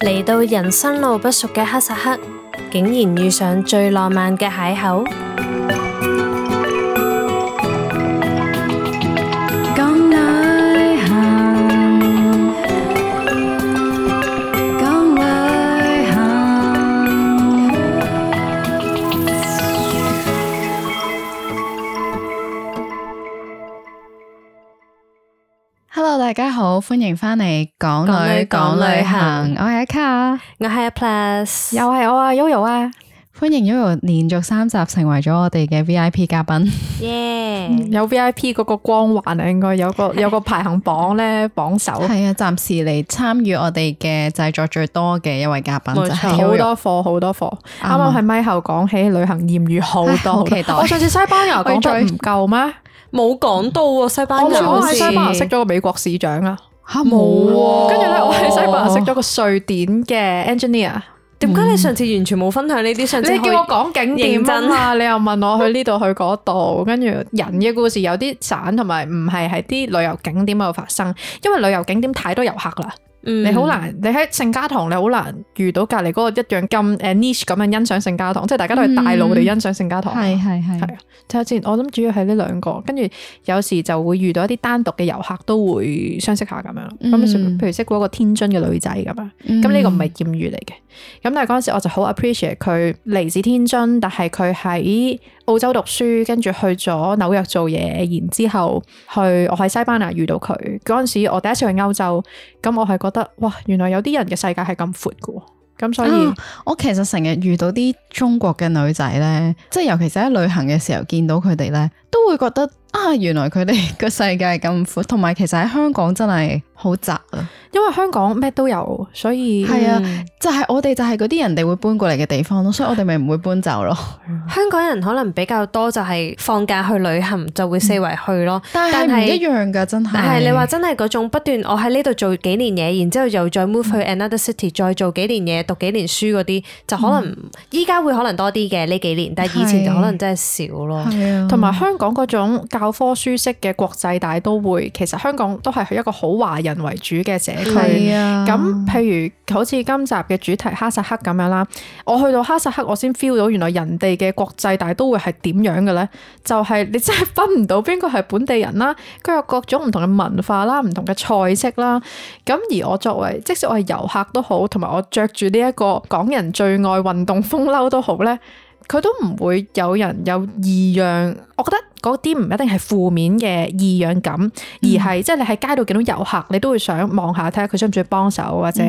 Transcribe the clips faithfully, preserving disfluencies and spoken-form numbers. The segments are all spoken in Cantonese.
嚟到人生路不熟嘅哈薩克，竟然遇上最浪漫嘅邂逅。講旅行，講旅行。Hello， 大家好，歡迎返嚟港女講旅行。我係阿卡，我係阿 Plus， 又係我啊 Yoyo 啊！歡迎 Yoyo 連續三集成為咗我哋嘅 V I P 嘉賓。耶！有 V I P 嗰個光環啊，應該有個有個排行榜咧榜首。係啊，暫時嚟參與我哋嘅製作最多嘅一位嘉賓就係好 Yoyo 多貨好多貨。啱啱喺咪後講起旅行艷遇好多，好期待。我上次西班牙講得唔夠咩？冇講到喎，西班牙。我喺西班牙識咗個美國市長啊，吓冇喎。跟住咧，我喺西班牙識咗個瑞典嘅 engineer。點解你上次完全冇分享呢啲？上次你叫我講景點啊嘛，你又問我去呢度去嗰度，跟住人嘅故事有啲散，同埋唔係喺啲旅遊景點嗰度發生，因為旅遊景點太多遊客啦。嗯、你好難，你喺聖家堂你好難遇到隔離嗰個一樣咁誒 niche 咁樣欣賞聖家堂，即係大家都係大路地欣賞聖家堂。係係係。係啊，睇下先，我諗主要係呢兩個，跟住有時就會遇到一啲單獨嘅遊客都會相識下咁樣。咁、嗯、譬如識嗰個天津嘅女仔咁樣，咁呢、嗯、個唔係艷遇嚟嘅。咁但係嗰陣時我就好 appreciate 佢嚟自天津，但係佢喺澳洲讀書，跟住去咗紐約做嘢，然之後去我喺西班牙遇到佢嗰陣時，我第一次去歐洲，咁我係覺得哇，原來有啲人嘅世界係咁闊㗎，咁所以、啊、我其實成日遇到啲中國嘅女仔咧，即係尤其是喺旅行嘅時候見到佢哋咧，都會覺得啊，原來佢哋個世界係咁闊，同埋其實喺香港真係好窄啊。因為香港咩都有，所以係啊，就係、是、我哋就係嗰啲人哋會搬過嚟嘅地方咯，所以我哋咪唔會搬走咯。香港人可能比較多就係放假去旅行就會四圍去咯，但係唔一樣噶，真係。但係你話真係嗰種不斷，我喺呢度做幾年嘢，然之後又再 move 去 another city，、嗯、再做幾年嘢，讀幾年書嗰啲，就可能依家、嗯、會可能多啲嘅呢幾年，但係以前就可能真係少咯。同埋、啊、香港嗰種教科書式嘅國際大都會，其實香港都係一個好華人為主嘅社區。係啊，咁譬如好似今集嘅主題哈薩克咁樣啦，我去到哈薩克，我先 feel 到原來人哋嘅國際大都會係點樣嘅咧？就係、是、你真係分唔到邊個係本地人啦，佢有各種唔同嘅文化啦，唔同嘅菜式啦。咁而我作為，即使我係遊客都好，同埋我着住呢一個港人最愛運動風褸都好咧，佢都唔會有人有異樣。我覺得嗰啲唔一定係負面嘅異樣感，而係即係你喺街度見到遊客，你都會想望下睇下佢需唔需要幫手，或者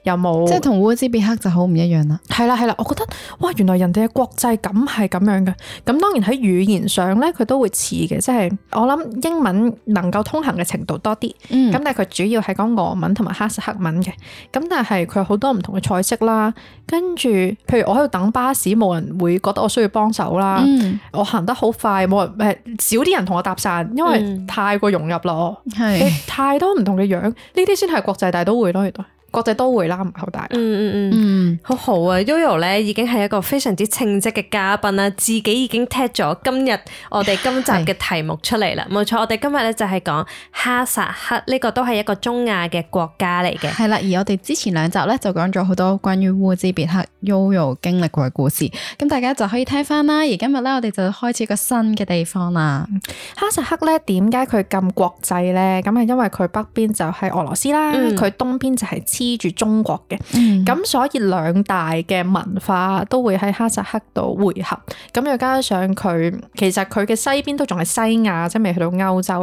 有冇、嗯、即係同烏茲別克就好唔一樣啦。係啦係啦，我覺得哇，原來人哋嘅國際感係咁樣嘅。咁當然喺語言上咧，佢都會似嘅，即係我諗英文能夠通行嘅程度多啲。咁、嗯、但係佢主要係講俄文同埋哈薩克文嘅。咁但係佢有好多唔同嘅菜式啦。跟住，譬如我喺度等巴士，冇人會覺得我需要幫手啦。嗯、我行得好快，冇人誒少啲人同我搭訕，因為太過融入咯。係、嗯、太多唔同嘅樣，呢啲先係國際大都會咯，原來。國際都會啦，唔係好大。嗯嗯嗯嗯，好好啊 Yoyo 咧已經係一個非常之稱職嘅嘉賓啦，自己已經踢咗今日我哋今集嘅題目出嚟啦。冇錯，我哋今日咧就係講哈薩克，呢個都係一個中亞嘅國家嚟嘅。係啦，而我哋之前兩集咧就講咗好多關於烏茲別克 Yoyo 經歷過嘅故事，咁大家就可以聽翻啦。而今日咧我哋就開始一個新嘅地方啦。哈薩克咧點解佢咁國際咧？咁係因為佢北邊就係俄羅斯啦，佢、嗯、東邊就係黐住中國嘅，咁、嗯、所以兩大嘅文化都會喺哈薩克度匯合，咁又加上佢其實佢嘅西邊都仲係西亞，即係未去到歐洲，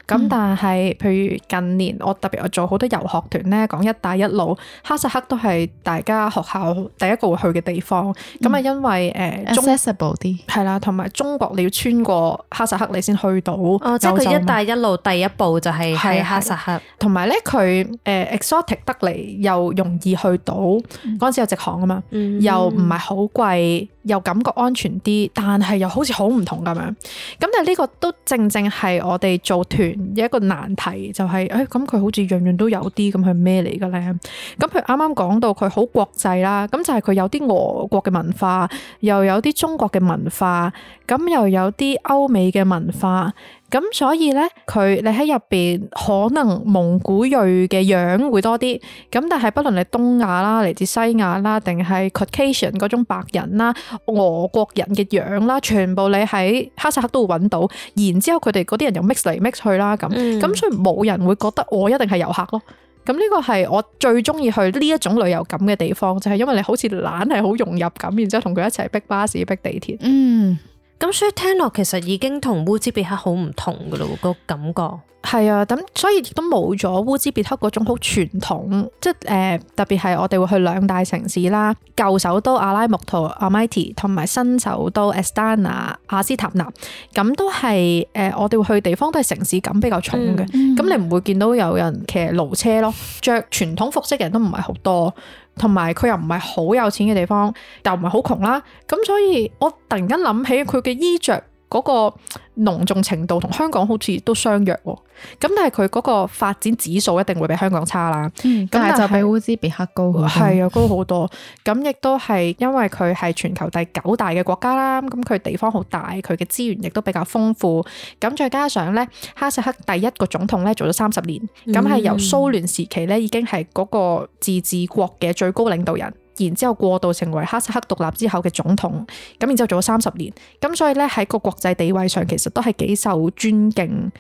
咁、嗯、但係譬如近年我特別我做好多遊學團咧，講一帶一路，哈薩克都係大家學校第一個會去嘅地方，咁啊、嗯、因為誒 accessible 啲係啦，同埋中國你要穿過哈薩克你先去到，哦，即係佢一帶一路第一步就係喺哈薩克，同埋咧佢誒 exotic 得嚟又容易去到，嗰陣、嗯、時有直航啊嘛，嗯、又唔係好貴，又感覺安全啲，但係又好似好唔同咁樣。咁但係呢個都正正係我哋做團嘅一個難題，就係誒咁佢好似樣樣都有啲，咁係咩嚟嘅咧？咁佢啱啱講到佢好國際啦，咁就係佢有啲俄國嘅文化，又有啲中國嘅文化，咁又有啲歐美嘅文化。咁所以咧，佢你喺入邊可能蒙古裔嘅樣會多啲，咁但係不論你東亞啦、嚟自西亞啦，定係 Caucasian 嗰種白人啦、俄國人嘅樣啦，全部你喺哈薩克都會揾到。然之後佢哋嗰啲人又 mix 嚟 mix 去啦，咁咁、嗯、所以冇人會覺得我一定係遊客咯。咁呢個係我最中意去呢一種旅遊感嘅地方，就係、是、因為你好似懶係好融入咁，然之後同佢一齊逼巴士、逼地鐵。嗯。咁所以聽落其實已經同烏茲別克好唔同噶咯，個感覺係啊，咁所以亦都冇咗烏茲別克嗰種好傳統，即係誒、呃、特別係我哋會去兩大城市啦，舊首都阿拉木圖阿米提同埋新首都 Astana 阿斯塔納，咁都係誒、呃、我哋會去地方都係城市感比較重嘅，咁、嗯、你唔會見到有人騎驢車咯，着傳統服飾嘅人都唔係好多。同埋佢又唔係好有錢嘅地方，又唔係好窮啦，咁所以我突然間諗起佢嘅衣着嗰個濃重程度同香港好似都相若喎，咁但係佢嗰個發展指數一定會比香港差啦，咁、嗯、但係就比烏茲別克高好多，係啊，高好多，咁亦都係因為佢係全球第九大嘅國家啦，咁佢地方好大，佢嘅資源亦都比較豐富，咁再加上咧哈薩克第一個總統咧做咗三十年，咁係、嗯、由蘇聯時期咧已經係嗰個自治國嘅最高領導人。然之後過渡成為哈薩克獨立之後嘅總統，咁然之後做咗三十年，咁所以咧喺個國際地位上其實都係幾受尊敬，誒、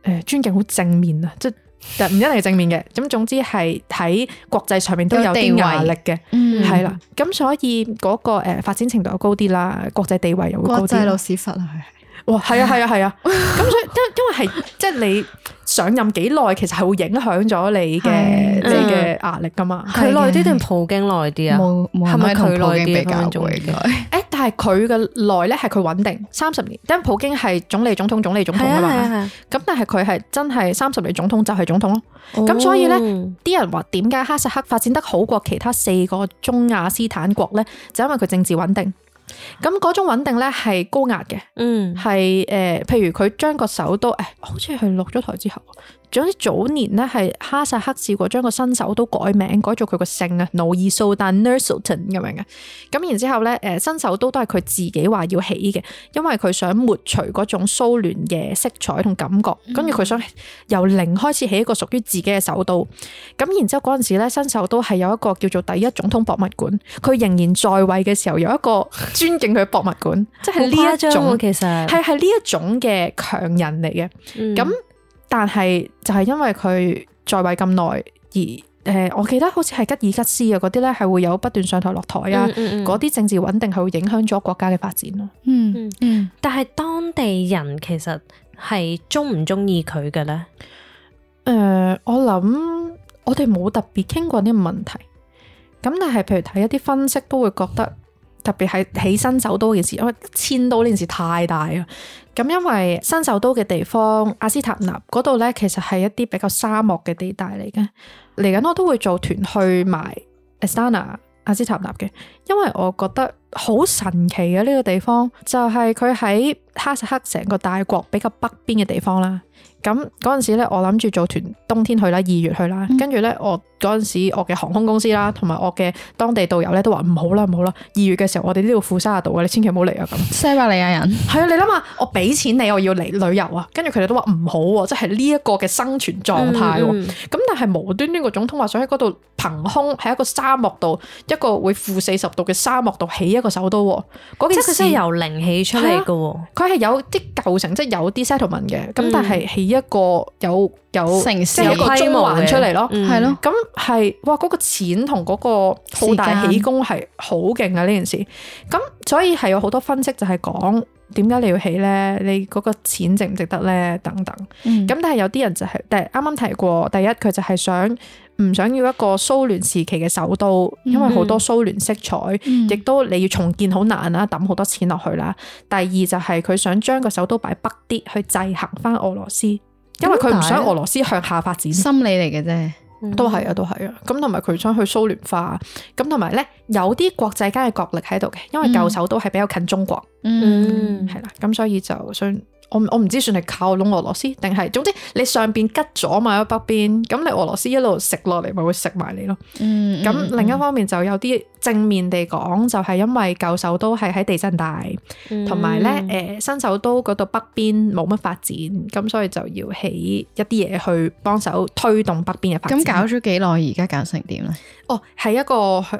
呃、尊敬好正面啊，即係唔一定係正面嘅，咁總之係喺國際上面都有啲壓力嘅，係啦，咁所以嗰個誒發展程度又高啲啦，國際地位又會高啲，國際老屎忽啊，哇，係啊係啊係啊，咁所以因因為係即係你上任幾耐，其實係會影響咗你嘅你嘅壓力噶嘛。佢耐啲定普京耐啲啊？冇冇係咪佢耐啲比較會嘅？誒，但係佢嘅耐咧係佢穩定三十年，因為普京係總理總統總理總統啊嘛。咁但係佢係真係三十年總統就係總統咯。咁、哦、所以咧，啲人話點解哈薩克發展得好過其他四個中亞斯坦國咧？就因為佢政治穩定。咁嗰種穩定咧係高壓嘅，嗯，係誒、呃，譬如佢將個首都，誒，好似係落咗台之後，總之早年咧係哈薩克試過將個新首都改名，改做佢個姓啊，努爾蘇丹 Nursultan 咁樣嘅。咁然之後咧，誒，新首都都係佢自己話要起嘅，因為佢想抹除嗰種蘇聯嘅色彩同感覺，跟住佢想由零開始起一個屬於自己嘅首都。咁然之後嗰陣時咧，新首都係有一個叫做第一總統博物館，佢仍然在位嘅時候有一個尊敬佢嘅博物館，即係呢一種其實係係呢一種嘅強人嚟嘅。咁、嗯、但係就係因為佢在位咁耐，而誒、呃，我記得好似係吉爾吉斯啊嗰啲咧，係會有不斷上台落台啊，嗰啲、嗯嗯嗯、政治穩定係會影響咗國家嘅發展咯。嗯嗯嗯。但係當地人其實係中唔中意佢嘅咧？誒、呃，我諗我哋冇特別傾過呢個問題。咁但係譬如睇一啲分析都會覺得。特別係起新首都嘅事，因為遷都呢件事太大啊。咁因為新首都嘅地方阿斯塔納嗰度咧，其實係一啲比較沙漠嘅地帶嚟嘅。嚟緊我都會做團去埋 Astana 阿斯塔納嘅，因為我覺得好神奇嘅呢個地方，就係佢喺哈薩克成個大國比較北邊嘅地方啦。咁嗰陣時咧，我諗住做團冬天去啦，二月去啦，跟住咧我嗰陣時我嘅航空公司啦，同埋我嘅當地導遊咧都話唔好啦，唔好啦，二月嘅時候我哋呢度負三十度嘅，你千祈唔好嚟啊咁。西伯利亞人係啊，你諗下，我俾錢你，我要嚟旅遊啊，跟住佢哋都話唔好喎，即係呢一個嘅生存狀態喎。咁、嗯嗯、但係無端端個總統話想喺嗰度憑空喺一個沙漠度，一個會負四十度嘅沙漠度起一個首都喎。嗰件事即係佢真係由零起出嚟嘅喎。佢係有啲舊城，即係有啲 settlement 嘅，咁、嗯、但係起一個有有城市即係一個中環出嚟咯，係咯、嗯。咁係哇，嗰、嗰個錢同嗰個好大起工係好勁啊！呢件事，咁所以係有好多分析就係講點解你要起咧？你嗰個錢值唔值得咧？等等。咁、嗯、但係有啲人就係、是，但係啱啱提過，第一佢就係想唔想要一個蘇聯時期嘅首都，因為好多蘇聯色彩，亦、嗯、都你要重建好難啦，抌好多錢落去啦。第二就係佢想將個首都擺北啲，去制衡翻俄羅斯。因為佢唔想俄羅斯向下發展，心理嚟嘅啫，都係啊，都係啊。咁同埋佢想去蘇聯化，咁同埋咧有啲國際間嘅角力喺度嘅，因為舊首都係比較近中國，嗯，係啦。咁所以就想我我唔知算係靠攏俄羅斯定係，總之你上邊吉咗嘛喺北邊，咁你俄羅斯一路食落嚟咪會食埋你咯。嗯，咁、嗯、另一方面就有啲正面地講，就係因為舊首都係喺地震帶，同埋咧誒新首都嗰度北邊冇乜發展，咁所以就要起一啲嘢去幫手推動北邊嘅發展。咁搞咗幾耐？而家搞成點咧？哦，係一個好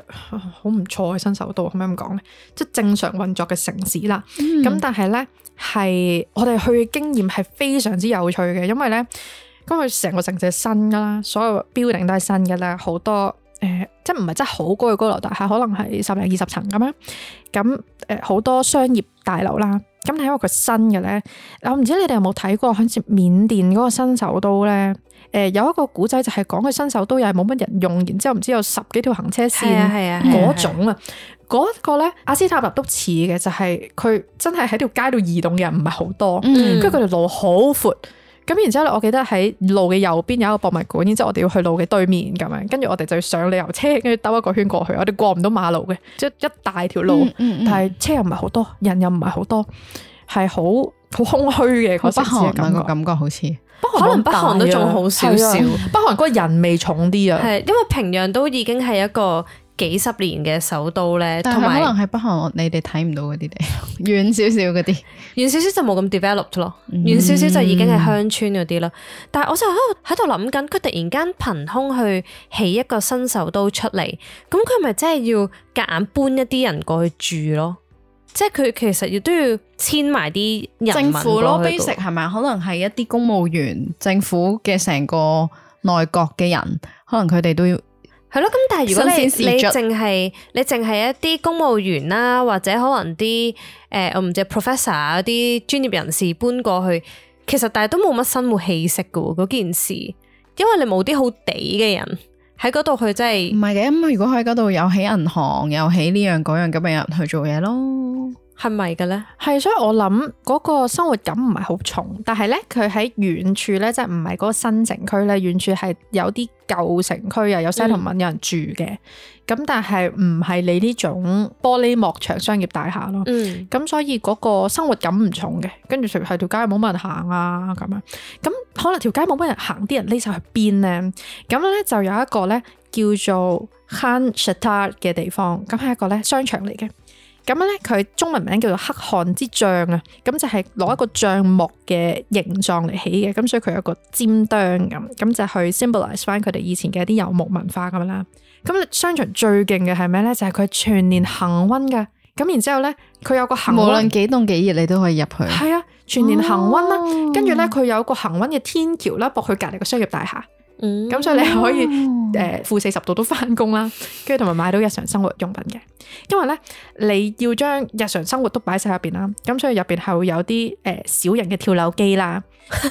唔錯嘅新首都，可唔可以咁講咧？即係正常運作嘅城市啦。咁、嗯、但係咧。係我哋去嘅經驗係非常之有趣嘅，因為咧，咁佢成個城市係新噶啦，所有 building 都係新噶啦，好多誒、呃，即係唔係真係好高嘅高樓大廈，可能係十零二十層咁樣，咁誒好多商業大樓啦，咁係因為佢新嘅咧，我唔知你哋有冇睇過，好似緬甸嗰個新首都咧，誒、呃、有一個古仔就係講佢新首都又係冇乜人用，然之後唔知有十幾條行車線嗰種啊。嗰個咧，阿斯塔納都似嘅，就係、是、佢真係喺條街度移動嘅人唔係好多，跟住佢條路好闊，咁然之後咧，我記得喺路嘅右邊有一個博物館，然之後我哋要去路嘅對面咁樣，跟住我哋就要上旅遊車，跟住兜一個圈過去，我哋過唔到馬路嘅，即係一大條路，嗯嗯嗯、但係車又唔係好多，人又唔係好多，係好好空虛嘅嗰城市嘅感覺，感覺好似。可能北韓都仲好少少，北韓嗰個人味重啲啊，係因為平壤都已經係一個幾十年嘅首都咧，同埋可能喺北韓你哋睇唔到嗰啲地遠少少嗰啲，遠少少就冇咁 developed 咯，遠少少就已經係鄉村嗰啲咯。但係我就喺度諗緊，佢突然間憑空去起一個新首都出嚟，咁佢咪真係要夾硬搬一啲人過去住咯？即係佢其實亦都要遷埋啲人民過去。政府咯 basic 係咪？可能係一啲公務員、政府嘅成個內閣嘅人，可能佢哋都要係咯。咁但係如果你你淨係你淨係一啲公務員啦，或者可能啲誒、呃、我唔知 professor 啲專業人士搬過去，其實但係都冇乜生活氣息噶喎嗰件事，因為你冇啲好地嘅人喺嗰度，佢真係唔係嘅。咁如果喺嗰度有起銀行，有起呢樣嗰樣，咁咪有人去做嘢咯。係咪嘅咧？係，所以我諗嗰個生活感唔係好重，但係咧佢喺遠處咧，即係唔係嗰個新城區咧，遠處係有啲舊城區啊，有 settlement 有人住嘅。咁、嗯、但係唔係你呢種玻璃幕牆商業大廈咯。咁、嗯、所以嗰個生活感唔重嘅。跟住係條街冇乜人行啊咁樣。咁可能條街冇乜人行，啲人匿晒去邊咧？咁咧就有一個咧叫做 Khan Shatar 嘅地方，咁係一個咧商場嚟嘅。咁咧，佢中文名叫做黑漢之帳啊，咁就係攞一個帳幕嘅形狀嚟起嘅，咁所以佢有一個尖端咁，咁就去 symbolize 翻佢哋以前嘅一啲遊牧文化咁啦。咁商場最勁嘅係咩咧？就係、是、佢全年恆溫噶，咁然之後咧，佢有個恆溫，無論幾凍幾熱，你都可以入去。係啊，全年恆溫啦，跟住咧佢有個恆溫嘅天橋啦，駁去隔離個商業大廈。咁、嗯、所以你可以誒負四十度都翻工啦，跟住同埋買到日常生活用品嘅。因為咧你要將日常生活都擺晒入邊啦，咁所以入邊係會有啲誒小型嘅跳樓機啦。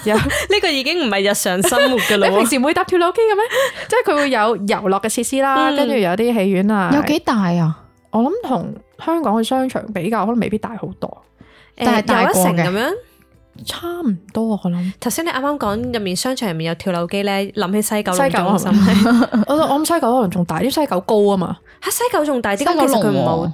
有呢個已經唔係日常生活噶啦。你平時唔會搭跳樓機嘅咩？即係佢會有遊樂嘅設施啦，跟住、嗯、有啲戲院啊。有幾大啊？我諗同香港嘅商場比較，可能未必大好多，但係大過嘅。差唔多我諗。頭先你啱啱講入面商場入面有跳樓機咧，諗起西九龍中心。我我諗西九可能仲大啲，西九高啊嘛。吓，西九仲大啲，咁其實佢唔好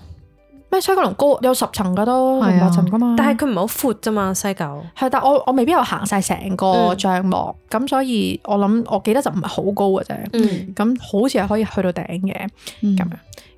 咩？西九龍高有十層噶都，係八層噶嘛。但係佢唔係好闊啫嘛，西九。係，但我我未必有行晒成個帳幕，咁、嗯、所以我諗我記得就唔係好高嘅啫。嗯，咁好似係可以去到頂嘅，咁、嗯、樣。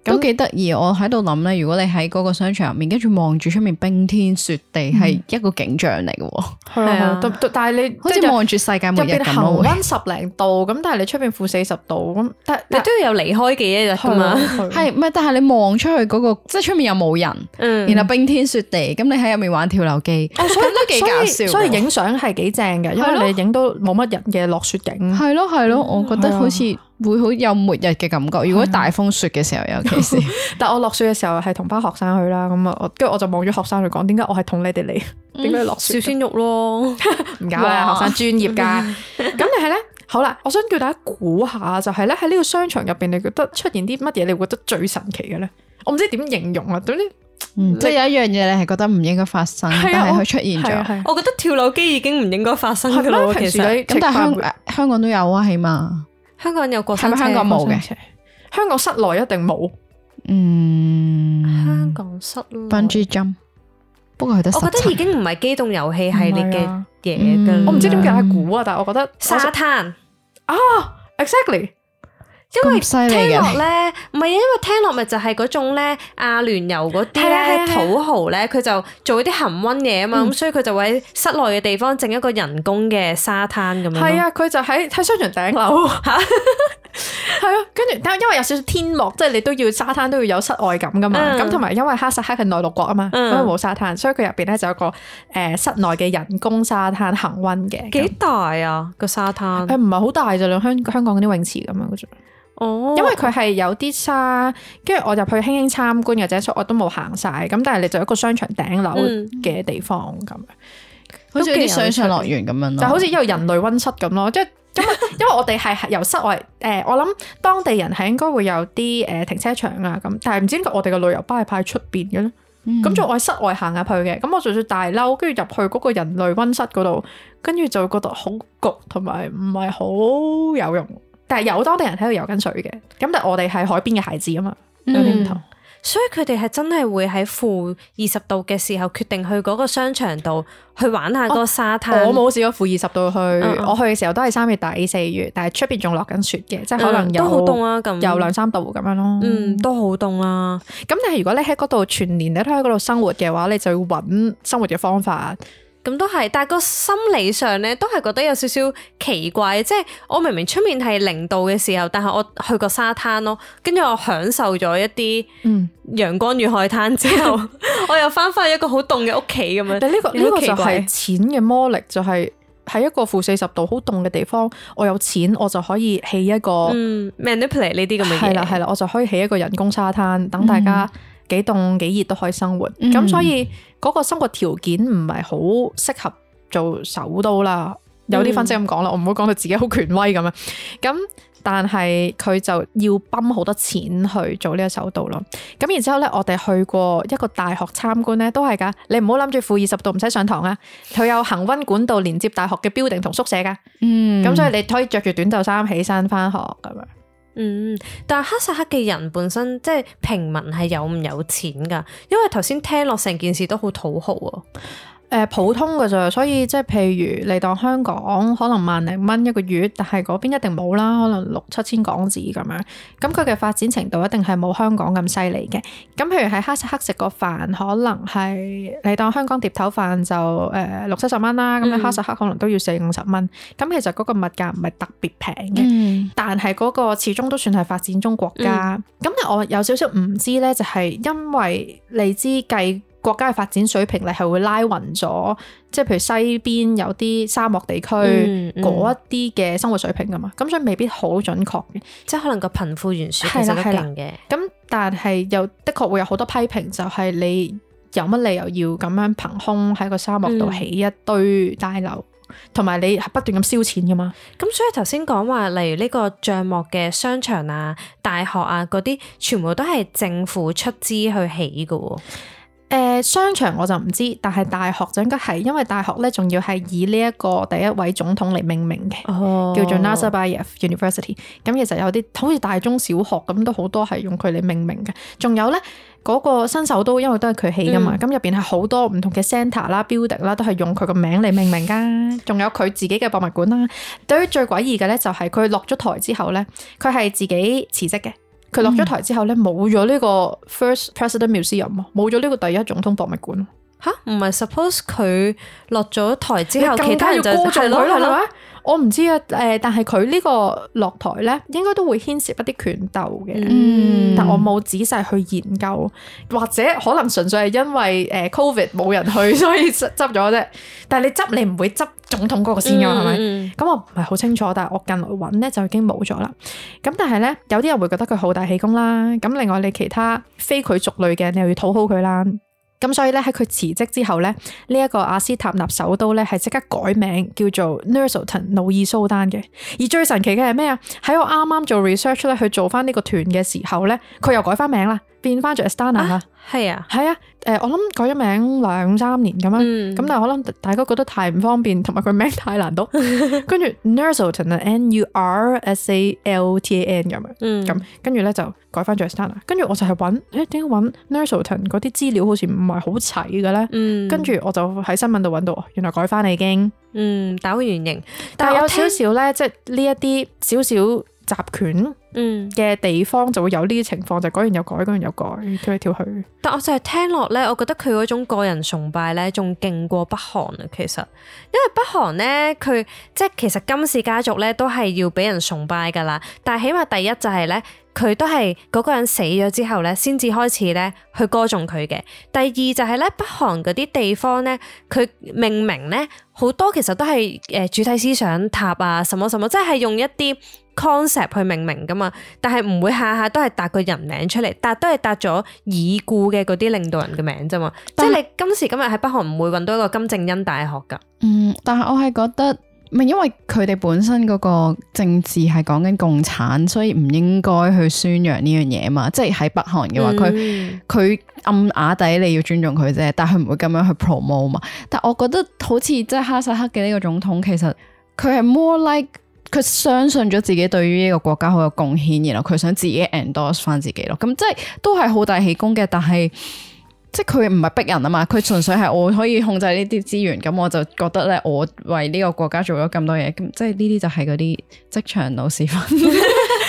都幾得意，我喺度諗咧，如果你喺嗰個商場入面，跟住望住出面冰天雪地，係一個景象嚟嘅。係啊，但係你好似望住世界末日咁咯。入邊恆溫十零度，咁但係你出邊負四十度，咁但係你都要有離開嘅一日噶嘛。係，唔係？但係你望出去嗰個，即係出面又冇人，嗯、然後冰天雪地，咁你喺入面玩跳樓機，咁都幾搞笑。所以影相係幾正嘅，因為你影到冇乜人嘅落雪景。係咯係咯，我覺得好似會好有末日嘅感覺。如果大風雪嘅時候，尤其是，但我落雪嘅時候係同班學生去啦，咁啊，跟住我就望咗學生去講，點解我係同你哋嚟？點解落雪？小鮮肉咯，唔搞啦，學生專業噶。咁但係咧，好啦，我想叫大家估下，就係咧喺呢個商場入邊，你覺得出現啲乜嘢？你會覺得最神奇嘅咧？我唔知點形容啊，總之，嗯、即係有一樣嘢你係覺得唔應該發生，啊、但係佢出現咗。我，我覺得跳樓機已經唔應該發生噶啦，其實。咁但係香香港都有啊，起碼。香港有過山車，係咪香港冇嘅？香港室內一定冇。嗯，香港室內 Bungee jump 不過佢得十七。我覺得已經唔係機動遊戲系列嘅嘢噶。我唔知點解估啊，但係我覺得沙灘啊 ，exactly。因為咁犀利嘅聽落咧，唔係啊，因為聽落咪就係嗰種咧，阿聯酋嗰啲咧土豪咧，佢就做啲恒溫嘢啊嘛，咁所以佢就會喺室內嘅地方整一個人工嘅沙灘咁樣。係啊，佢就喺喺商場頂樓嚇，係啊，跟住但因為有少少天幕，即係你都要沙灘都要有室外感噶嘛，咁同埋因為哈薩克係內陸國啊嘛，因為冇沙灘，所以佢入邊咧就有個誒室內嘅人工沙灘恒溫嘅。幾大啊個沙灘？誒唔係好大咋，香香港嗰啲泳池咁樣嘅啫。哦，因為佢係有啲沙，跟住我入去輕輕參觀嘅啫，所以我都冇行晒。咁但係你就一個商場頂樓嘅地方咁樣，好似啲水上樂園咁樣咯，就好似一個人類溫室咁咯。即係因為因為我哋係由室外誒、呃，我諗當地人係應該會有啲誒停車場啊咁，但係唔知點解我哋嘅旅遊巴係派喺出邊嘅咧？咁就、嗯、我喺室外行入去嘅，咁我就算大褸，跟住入去嗰個人類溫室嗰度，跟住就覺得好焗，同埋唔係好有用。但係有當地人喺度游緊水嘅，咁但係我哋係海邊嘅孩子啊嘛，有啲唔同。所以佢哋係真係會喺負二十度嘅時候決定去嗰個商場度去玩下嗰個沙灘。我冇試過負二十度去，嗯、我去嘅時候都係三月底四月，但係出邊仲落緊雪嘅，即係可能有、嗯、都好凍啊，咁有兩三度咁樣咯。嗯，都好凍啊。咁但係如果你喺嗰度全年你都喺嗰度生活嘅話，你就要揾生活嘅方法。咁都係，但係個心理上咧，都係覺得有少少奇怪。即係我明明出面係零度嘅時候，但係我去過沙灘咯，跟住我享受咗一啲陽光與海灘之後，嗯、我又翻返去一個好凍嘅屋企咁樣。但呢、呢個呢、呢個就係錢嘅魔力，就係、是、喺一個負四十度好凍嘅地方，我有錢我就可以起一個、嗯、manipulate 呢啲咁嘅嘢。係啦係啦，我就可以起一個人工沙灘，等大家幾凍幾熱都可以生活。咁、嗯、所以嗰個生活條件唔係好適合做首都啦。有啲分析咁講啦，我唔好講到自己好權威咁樣。咁但係佢就要泵好多錢去做呢個首都咯。咁然之後咧，我哋去過一個大學參觀咧，都係噶。你唔好諗住負二十度唔使上堂啊，佢有恆溫管道連接大學嘅 building 同宿舍噶。嗯，咁所以你可以着住短袖衫起身翻學咁樣。嗯，但係哈薩克嘅人本身即係平民係有唔有錢噶？因為頭先聽落成件事都好土豪啊。誒、呃、普通嘅咋，所以即係譬如你當香港可能萬零蚊一個月，但係嗰邊一定冇啦，可能六七千港紙咁樣。咁佢嘅發展程度一定係冇香港咁犀利嘅。咁譬如喺哈薩克食個飯，可能係你當香港碟頭飯就誒、呃、六七十蚊啦，咁你哈薩克可能都要四五十蚊。咁、嗯、其實嗰個物價唔係特別平嘅，嗯、但係嗰個始終都算係發展中國家。咁、嗯、但我有少少唔知咧，就係因為你知計國家嘅發展水平，你係會拉勻咗，即係譬如西邊有啲沙漠地區嗰一啲嘅生活水平噶嘛，咁、嗯嗯、所以未必好準確嘅，即係可能個貧富懸殊其實都勁嘅。咁但係又的確會有好多批評，就係你有乜理由要咁樣憑空喺個沙漠度起一堆大樓，同埋、嗯、你不斷咁燒錢噶嘛。咁所以頭先講話，例如呢個帳幕嘅商場啊、大學啊嗰啲，全部都係政府出資去起噶喎。誒、呃、商場我就唔知，但係大學就應該係，因為大學咧仲要係以呢一個第一位總統嚟命名嘅，哦、叫做 Nazarbayev University。咁其實有啲好似大中小學咁，都好多係用佢嚟命名嘅。仲有咧嗰、那個新首都，因為都係佢起噶嘛，咁入邊係好多唔同嘅 centre 啦、building 啦，都係用佢個名嚟命名噶。仲有佢自己嘅博物館啦。對於最詭異嘅咧，就係佢落咗台之後咧，佢係自己辭職嘅。佢落咗台之後咧，冇咗呢個 First President Museum，冇咗呢個第一總統博物館。吓，唔係 suppose 佢落咗台之後，其他人就係咯係咪？我唔知啊，誒，但係佢呢個落台咧，應該都會牽涉一啲權鬥嘅。嗯，但我冇仔細去研究，或者可能純粹係因為誒 Covid 冇人去，所以執咗啫。但係你執，你唔會執總統嗰個先噶，係咪？嗯？咁我唔係好清楚，但係我近來揾咧就已經冇咗啦。咁但係咧，有啲人會覺得佢好大喜功啦。咁另外你其他非佢族類嘅，你又要討好佢啦。咁所以咧喺佢辭職之後咧，呢、這、一個阿斯塔納首都咧係即刻改名叫做 Nur-Sultan 努爾蘇丹嘅。而最神奇嘅係咩啊？喺我啱啱做 research 咧去做翻呢個團嘅時候咧，佢又改翻名啦，變翻做 Astana 啦。係啊，係啊。誒，我諗改咗名兩三年咁樣，咁、嗯、但係可能大家覺得太唔方便，同埋佢名太難讀，跟住 Nursultan 啊 ，N U R S A L T A N 咁樣，咁跟住咧就改翻做 Astana，跟住我就係揾，誒點解揾 Nursultan 嗰啲資料好似唔係好齊嘅咧？跟住、嗯、我就喺新聞度揾到，原來改翻啦已經，嗯，打回原形，但係有少少咧，即係呢一啲少少集權嘅地方就會有呢啲情況，就改完又改，改完又改，跳嚟跳去。但我就係聽落咧，我覺得佢嗰種個人崇拜咧，仲勁過北韓啊！其實，因為北韓咧，佢即係其實金氏家族咧都係要俾人崇拜噶啦。但係起碼第一就係咧，佢都係嗰個人死咗之後咧，先至開始咧去歌頌佢嘅。第二就係咧，北韓嗰啲地方咧，佢命名咧好多其實都係誒主體思想塔啊，什麼什麼，即係用一啲 concept 去命名噶嘛。但係唔會下下都係搭個人名出嚟，但都係搭咗已故嘅嗰啲領導人嘅名啫嘛。但即係你今時今日喺北韓唔會揾到一個金正恩大學噶。嗯，但係我係覺得，唔係因為佢哋本身嗰個政治係講緊共產，所以唔應該去宣揚呢樣嘢嘛。即係喺北韓嘅話，佢佢、嗯、暗啞底你要尊重佢啫，但係佢唔會咁樣去 promote 嘛。但我覺得好似即係哈薩克嘅呢個總統，其實佢係 more like。佢相信咗自己對於呢個國家好有貢獻，然後佢想自己 endorse 翻自己咯。咁即係都係好大喜功嘅，但係即係佢唔係逼人啊嘛。佢純粹係我可以控制呢啲資源，咁我就覺得咧，我為呢個國家做咗咁多嘢，咁即係呢啲就係嗰啲職場老屎忽。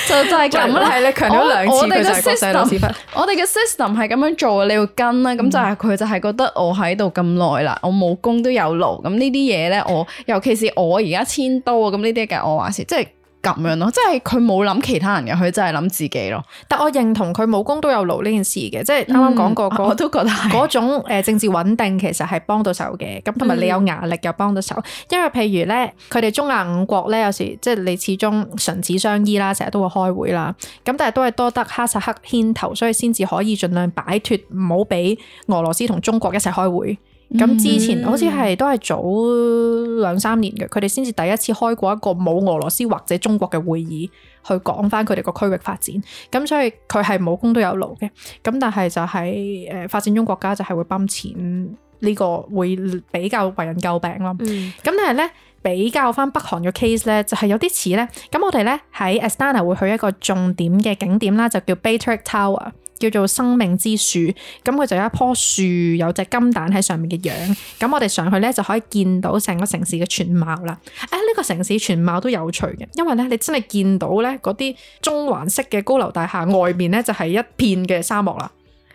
就就係咁啦，係你強調兩次佢就係國際老屎忽。我哋嘅 system 係咁樣做，你要跟啦。咁、嗯、就係佢就係覺得我喺度咁耐啦，我冇功都有勞。咁呢啲嘢咧，我尤其是我而家遷都啊，咁呢啲嘅我話事，即係。咁樣咯，即係佢冇諗其他人嘅，佢真係諗自己咯。但我認同佢冇功都有勞呢件事嘅，即係啱啱講過，我都覺得嗰種誒政治穩定其實係幫到手嘅。咁同埋你有壓力又幫到手，因為譬如咧，佢哋中亞五國咧，有時即係你始終唇齒相依啦，成日都會開會啦。咁但係都係多得哈薩克牽頭，所以先至可以盡量擺脫，唔好俾俄羅斯同中國一齊開會。咁、嗯、之前好似係都係早兩三年嘅，佢哋先至第一次開過一個冇俄羅斯或者中國嘅會議，去講翻佢哋個區域發展。咁所以佢係冇功都有勞嘅。咁但係就係誒發展中國家就係會泵錢，呢個會比較為人詬病咯。咁、嗯、但係咧比較翻北韓嘅 case 咧，就係有啲似咧。咁我哋咧喺 Astana 會去一個重點嘅景點啦，就叫 Bayterik Tower。叫做生命之樹，咁佢就有一棵樹，有隻金蛋喺上面嘅樣，咁我哋上去咧就可以見到成個城市嘅全貌啦。誒，呢個城市全貌都有趣嘅，因為咧你真係見到咧嗰啲中環式嘅高樓大廈外面咧就係一片嘅沙漠啦。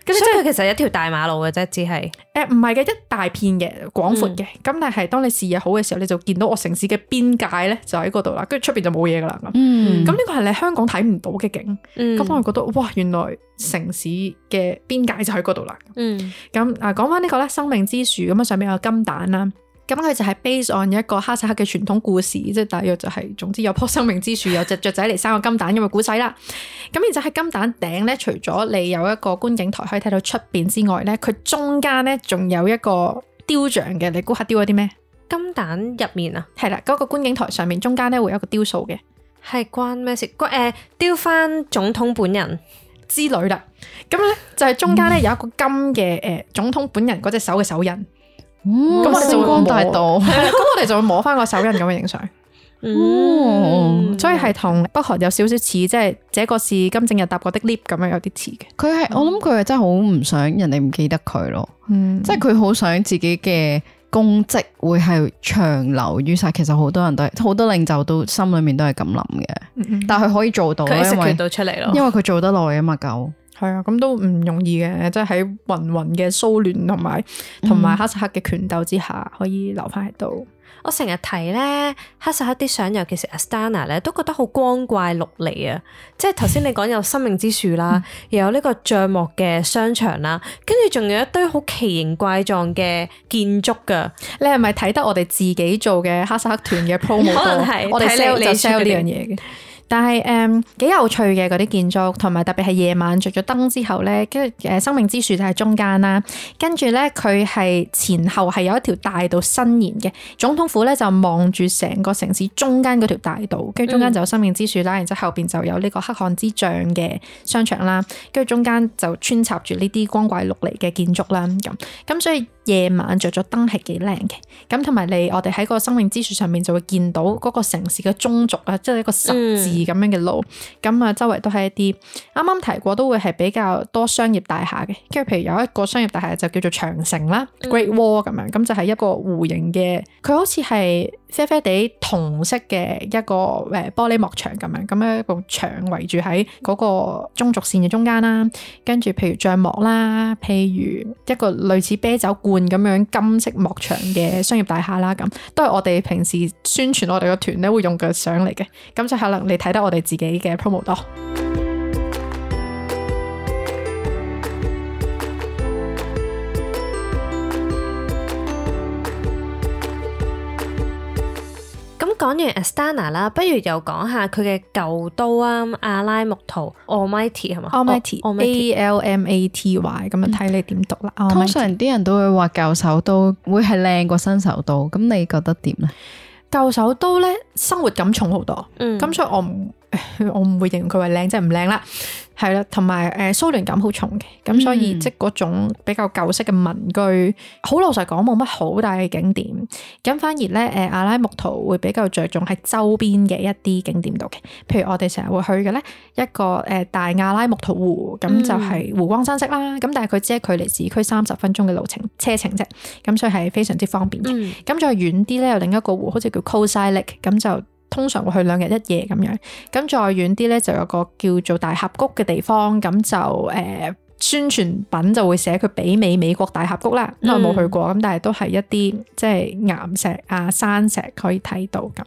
所以佢其實係一條大馬路嘅啫，只係誒唔係嘅，一大片嘅廣闊嘅，咁、嗯、但係當你視野好嘅時候，你就見到我城市嘅邊界咧就喺嗰度啦，跟住出邊就冇嘢噶啦咁。咁呢個係你香港睇唔到嘅景，咁、嗯、我覺得哇，原來城市嘅邊界就喺嗰度啦。咁啊講翻呢個咧，生命之樹咁啊，上面有金蛋啦。咁佢就係 base on 一個哈薩克嘅傳統故事，即係大約就係、是，總之有棵生命之樹，有隻雀仔嚟生個金蛋咁嘅故仔啦。咁然之後喺金蛋頂咧，除咗你有一個觀景台可以睇到出邊之外咧，佢中間咧仲有一個雕像嘅，你估下雕咗啲咩？金蛋入面啊？係啦，嗰、那個觀景台上面中間咧會有一個雕塑嘅，係關咩事？誒、呃，雕翻總統本人之類啦。咁咧就係、是、中間咧有一個金嘅誒、呃、總統本人嗰隻手嘅手印。咁、哦、我哋就會摸，咁我哋就會摸翻個手印咁樣影相。哦，所以係同北韓有少少似，即係這個是金正日搭過的 lift 咁樣有啲似嘅。佢係、嗯、我諗佢係真係好唔想人哋唔記得佢咯。嗯，即係佢好想自己嘅功績會係長留於世。其實好多人都係好多領袖都心裏面都係咁諗嘅。嗯、但係佢可以做到，佢食佢到出嚟咯。因為佢做得耐啊嘛，夠。係啊，咁都唔容易嘅，即係喺芸芸嘅騷亂同埋同埋哈薩克嘅權鬥之下，可以留翻喺度。我成日睇咧哈薩克啲相，尤其是 Astana 咧，都覺得好光怪陸離啊！即係頭先你講有生命之樹啦，又有呢個帳幕嘅商場啦，跟住仲有一堆好奇形怪狀嘅建築噶。你係咪睇得我哋自己做嘅哈薩克團嘅 promo 多？可能係我哋 sell 就 sell 呢樣嘢嘅。但係誒幾有趣嘅嗰啲建築，同埋特別係夜晚着咗燈之後咧，跟住誒生命之樹就喺中間啦，跟住咧佢係前後係有一條大道伸延嘅，總統府咧就望住成個城市中間嗰條大道，跟住中間就有生命之樹啦，然之後後邊就有呢個黑漢之像嘅商場啦，跟住中間就穿插住呢啲光怪陸離嘅建築啦，咁咁所以夜晚着咗燈係幾靚嘅，咁同埋你我哋喺個生命之樹上面就會見到嗰個城市嘅中軸啊，即係一個十字咁樣嘅路，咁啊、嗯、周圍都係一啲啱啱提過都會係比較多商業大廈嘅，跟住譬如有一個商業大廈就叫做長城啦、嗯、Great Wall 咁樣，咁就係一個弧形嘅，佢好似係啡啡地銅色嘅一個誒玻璃幕牆咁樣，咁樣一個牆圍住喺嗰個中軸線嘅中間啦，跟住譬如帳幕啦，譬如一個類似啤酒罐咁樣金色幕牆嘅商業大廈啦，咁都係我哋平時宣傳我哋個團咧會用嘅相嚟嘅，咁就可能你睇得我哋自己嘅 promo 多。講完 Astana 啦，不如又講下佢嘅舊都啊，阿拉木圖 Almaty 係嘛 ？Almaty，A L M A T Y， 咁啊睇你點讀啦。嗯、通常啲人都會話舊首都會係靚過新首都，咁你覺得點咧？舊首都咧生活感重好多，咁、嗯、所以我唔我唔會形容佢為靚，即係唔靚啦。係啦，同埋誒蘇聯感好重嘅，咁所以、嗯、即嗰種比較舊式嘅民居，好老實講冇乜好大嘅景點，咁反而咧誒阿拉木圖會比較着重喺周邊嘅一啲景點度嘅，譬如我哋成日會去嘅咧一個誒大阿拉木圖湖，咁就係湖光山色啦，咁、嗯、但係佢只係距離市區三十分鐘嘅路程車程啫，咁所以係非常之方便嘅。咁、嗯、再遠啲咧有另一個湖，好似叫 Kosai Lake，咁就通常會去兩日一夜咁樣，咁再遠啲咧就有個叫做大峽谷嘅地方，咁就誒、呃、宣傳品就會寫佢媲美美國大峽谷啦，因為冇去過，咁但係都係一啲即係岩石啊山石可以睇到咁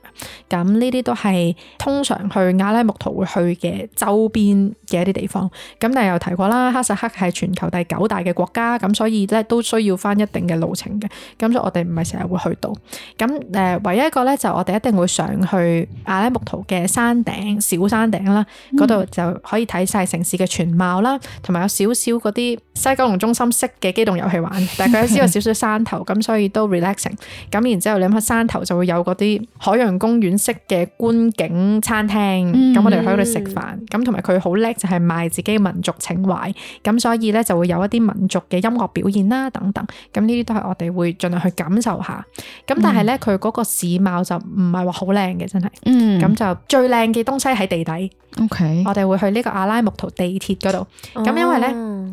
樣，咁呢啲都係通常去阿拉木圖會去嘅周邊嘅一啲地方。咁但係又提過啦，哈薩克係全球第九大嘅國家，咁所以咧都需要翻一定嘅路程嘅，咁所以我哋唔係成日會去到。咁誒唯一一個咧就我哋一定會上去阿拉木圖嘅山頂小山頂啦，嗰度、嗯、就可以睇晒城市嘅全貌啦，同埋有少少嗰啲西九龍中心式嘅機動遊戲玩，但係佢只有少少山頭，咁所以都 relaxing。咁然之後你諗下山頭就會有嗰啲海洋公園式嘅觀景餐廳，咁、嗯、我哋喺度食飯，咁同埋佢好叻就係賣自己民族情懷，咁所以咧就會有一啲民族嘅音樂表現啦等等，咁呢啲都係我哋會盡量去感受下。咁但係咧佢嗰個市貌就唔係話好靚嘅，真係，咁、嗯、就最靚嘅東西喺地底。OK，我哋會去呢個阿拉木圖地鐵嗰度，咁、哦、因為咧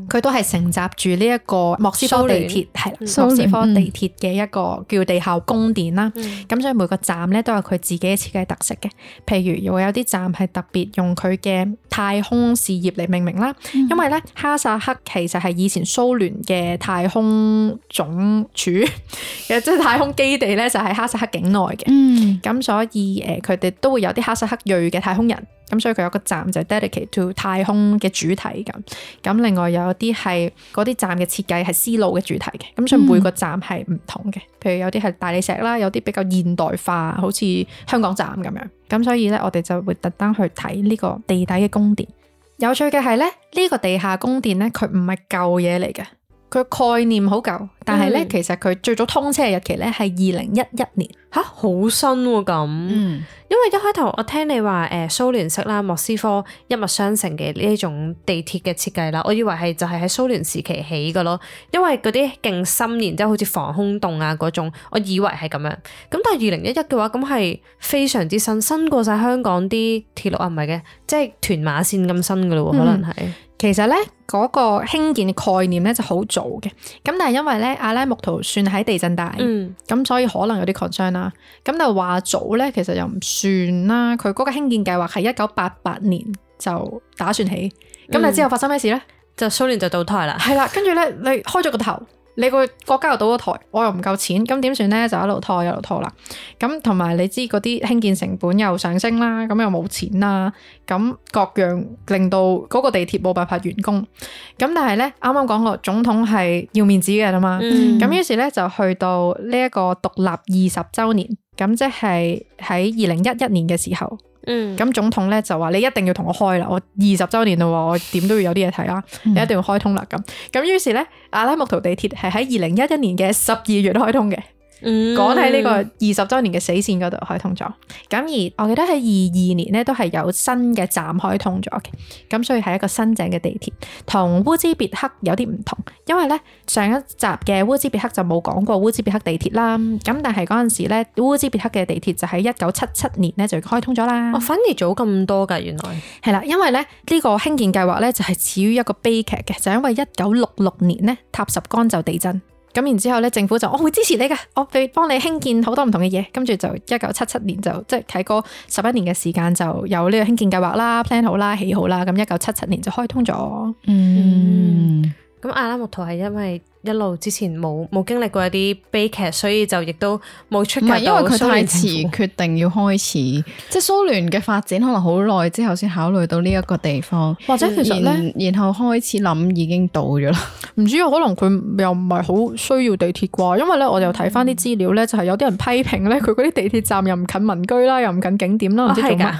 佢都係承襲住呢一個莫斯科地鐵，係聯莫斯科地鐵嘅一個叫地下宮殿啦。咁、嗯、所以每個站咧都有佢自己嘅設計特色嘅，譬如會有啲站係特別用佢嘅太空事業嚟命名啦。嗯、因為咧哈薩克其實係以前蘇聯嘅太空總署嘅，即係太空基地咧就喺哈薩克境內嘅。咁、嗯、所以誒佢哋都會有啲哈薩克裔嘅太空人。咁所以佢有個站就係 dedicate to 太空嘅主題咁，咁另外有啲係嗰啲站嘅設計係絲路嘅主題嘅，咁所以每個站係唔同嘅，譬如有啲係大理石啦，有啲比較現代化，好似香港站咁樣，咁所以咧我哋就會特登去睇呢個地底嘅宮殿。有趣嘅係咧，呢個地下宮殿咧，佢唔係舊嘢嚟嘅，佢概念好舊，但係咧、嗯、其實佢最早通車嘅日期咧係二零一一年。吓，好新喎咁，嗯、因為一開頭我聽你話誒蘇聯式啦，莫斯科一脈相承嘅呢一種地鐵嘅設計啦，我以為係就係喺蘇聯時期起嘅咯，因為嗰啲勁深，然之後好似防空洞啊嗰種，我以為係咁樣。咁但係二零一一嘅話，咁係非常之新，新過晒香港啲鐵路啊，唔係嘅，即係屯馬線咁新嘅咯，可能係。嗯其實咧嗰、那個興建嘅概念咧就好早嘅，咁但係因為咧阿拉木圖算喺地震帶，咁、嗯、所以可能有啲 concern 啦。咁但係話早咧，其實又唔算啦。佢嗰個興建計劃係一九八八年就打算起，咁、嗯、但係之後發生咩事咧？就蘇聯就倒台啦。係啦，跟住咧你開咗個頭。你個國家又倒咗台，我又唔夠錢，咁點算咧？就一路拖一路拖啦。咁同埋你知嗰啲興建成本又上升啦，咁又冇錢啦，咁各樣令到嗰個地鐵冇辦法完工。咁但係咧，啱啱講過總統係要面子嘅啦嘛。咁、嗯、於是咧就去到呢一個獨立二十週年，咁即係喺二零一一年嘅時候。嗯，咁總統咧就話你一定要同我開啦，我二十週年啦，我點都要有啲嘢睇啦，你一定要開通啦咁。咁於是咧，阿拉木圖地鐵係喺二零一一年嘅十二月開通嘅。講喺呢個二十週年嘅死線嗰度開通咗，咁而我記得喺二二年咧都係有新嘅站開通咗嘅，咁所以係一個新井嘅地鐵，同烏茲別克有啲唔同，因為咧上一集嘅烏茲別克就冇講過烏茲別克地鐵啦，咁但係嗰陣時咧烏茲別克嘅地鐵就喺一九七七年咧就開通咗啦。哦，反而早咁多㗎，原來係啦，因為咧呢個興建計劃咧就係始於一個悲劇嘅，就因為一九六六年咧塔什干就地震。咁然之後咧，政府就我會支持你㗎，我會幫你興建好多唔同嘅嘢。跟住就一九七七年就即係喺嗰十一年嘅時間就有呢個興建計劃啦、plan 好啦、起好啦。咁一九七七年就開通咗。嗯，咁阿拉木圖係因為一路之前冇冇經歷過一啲悲劇，所以就亦都冇出格到。唔係因為佢太遲決定要開始，即係蘇聯嘅發展可能好耐之後先考慮到呢一個地方，或者其實咧，然後開始諗已經到咗啦。唔知啊，可能佢又唔係好需要地鐵啩？因為咧，我又睇翻啲資料咧，就係有啲人批評咧，佢嗰啲地鐵站又唔近民居啦，又唔近景點啦，唔知做乜。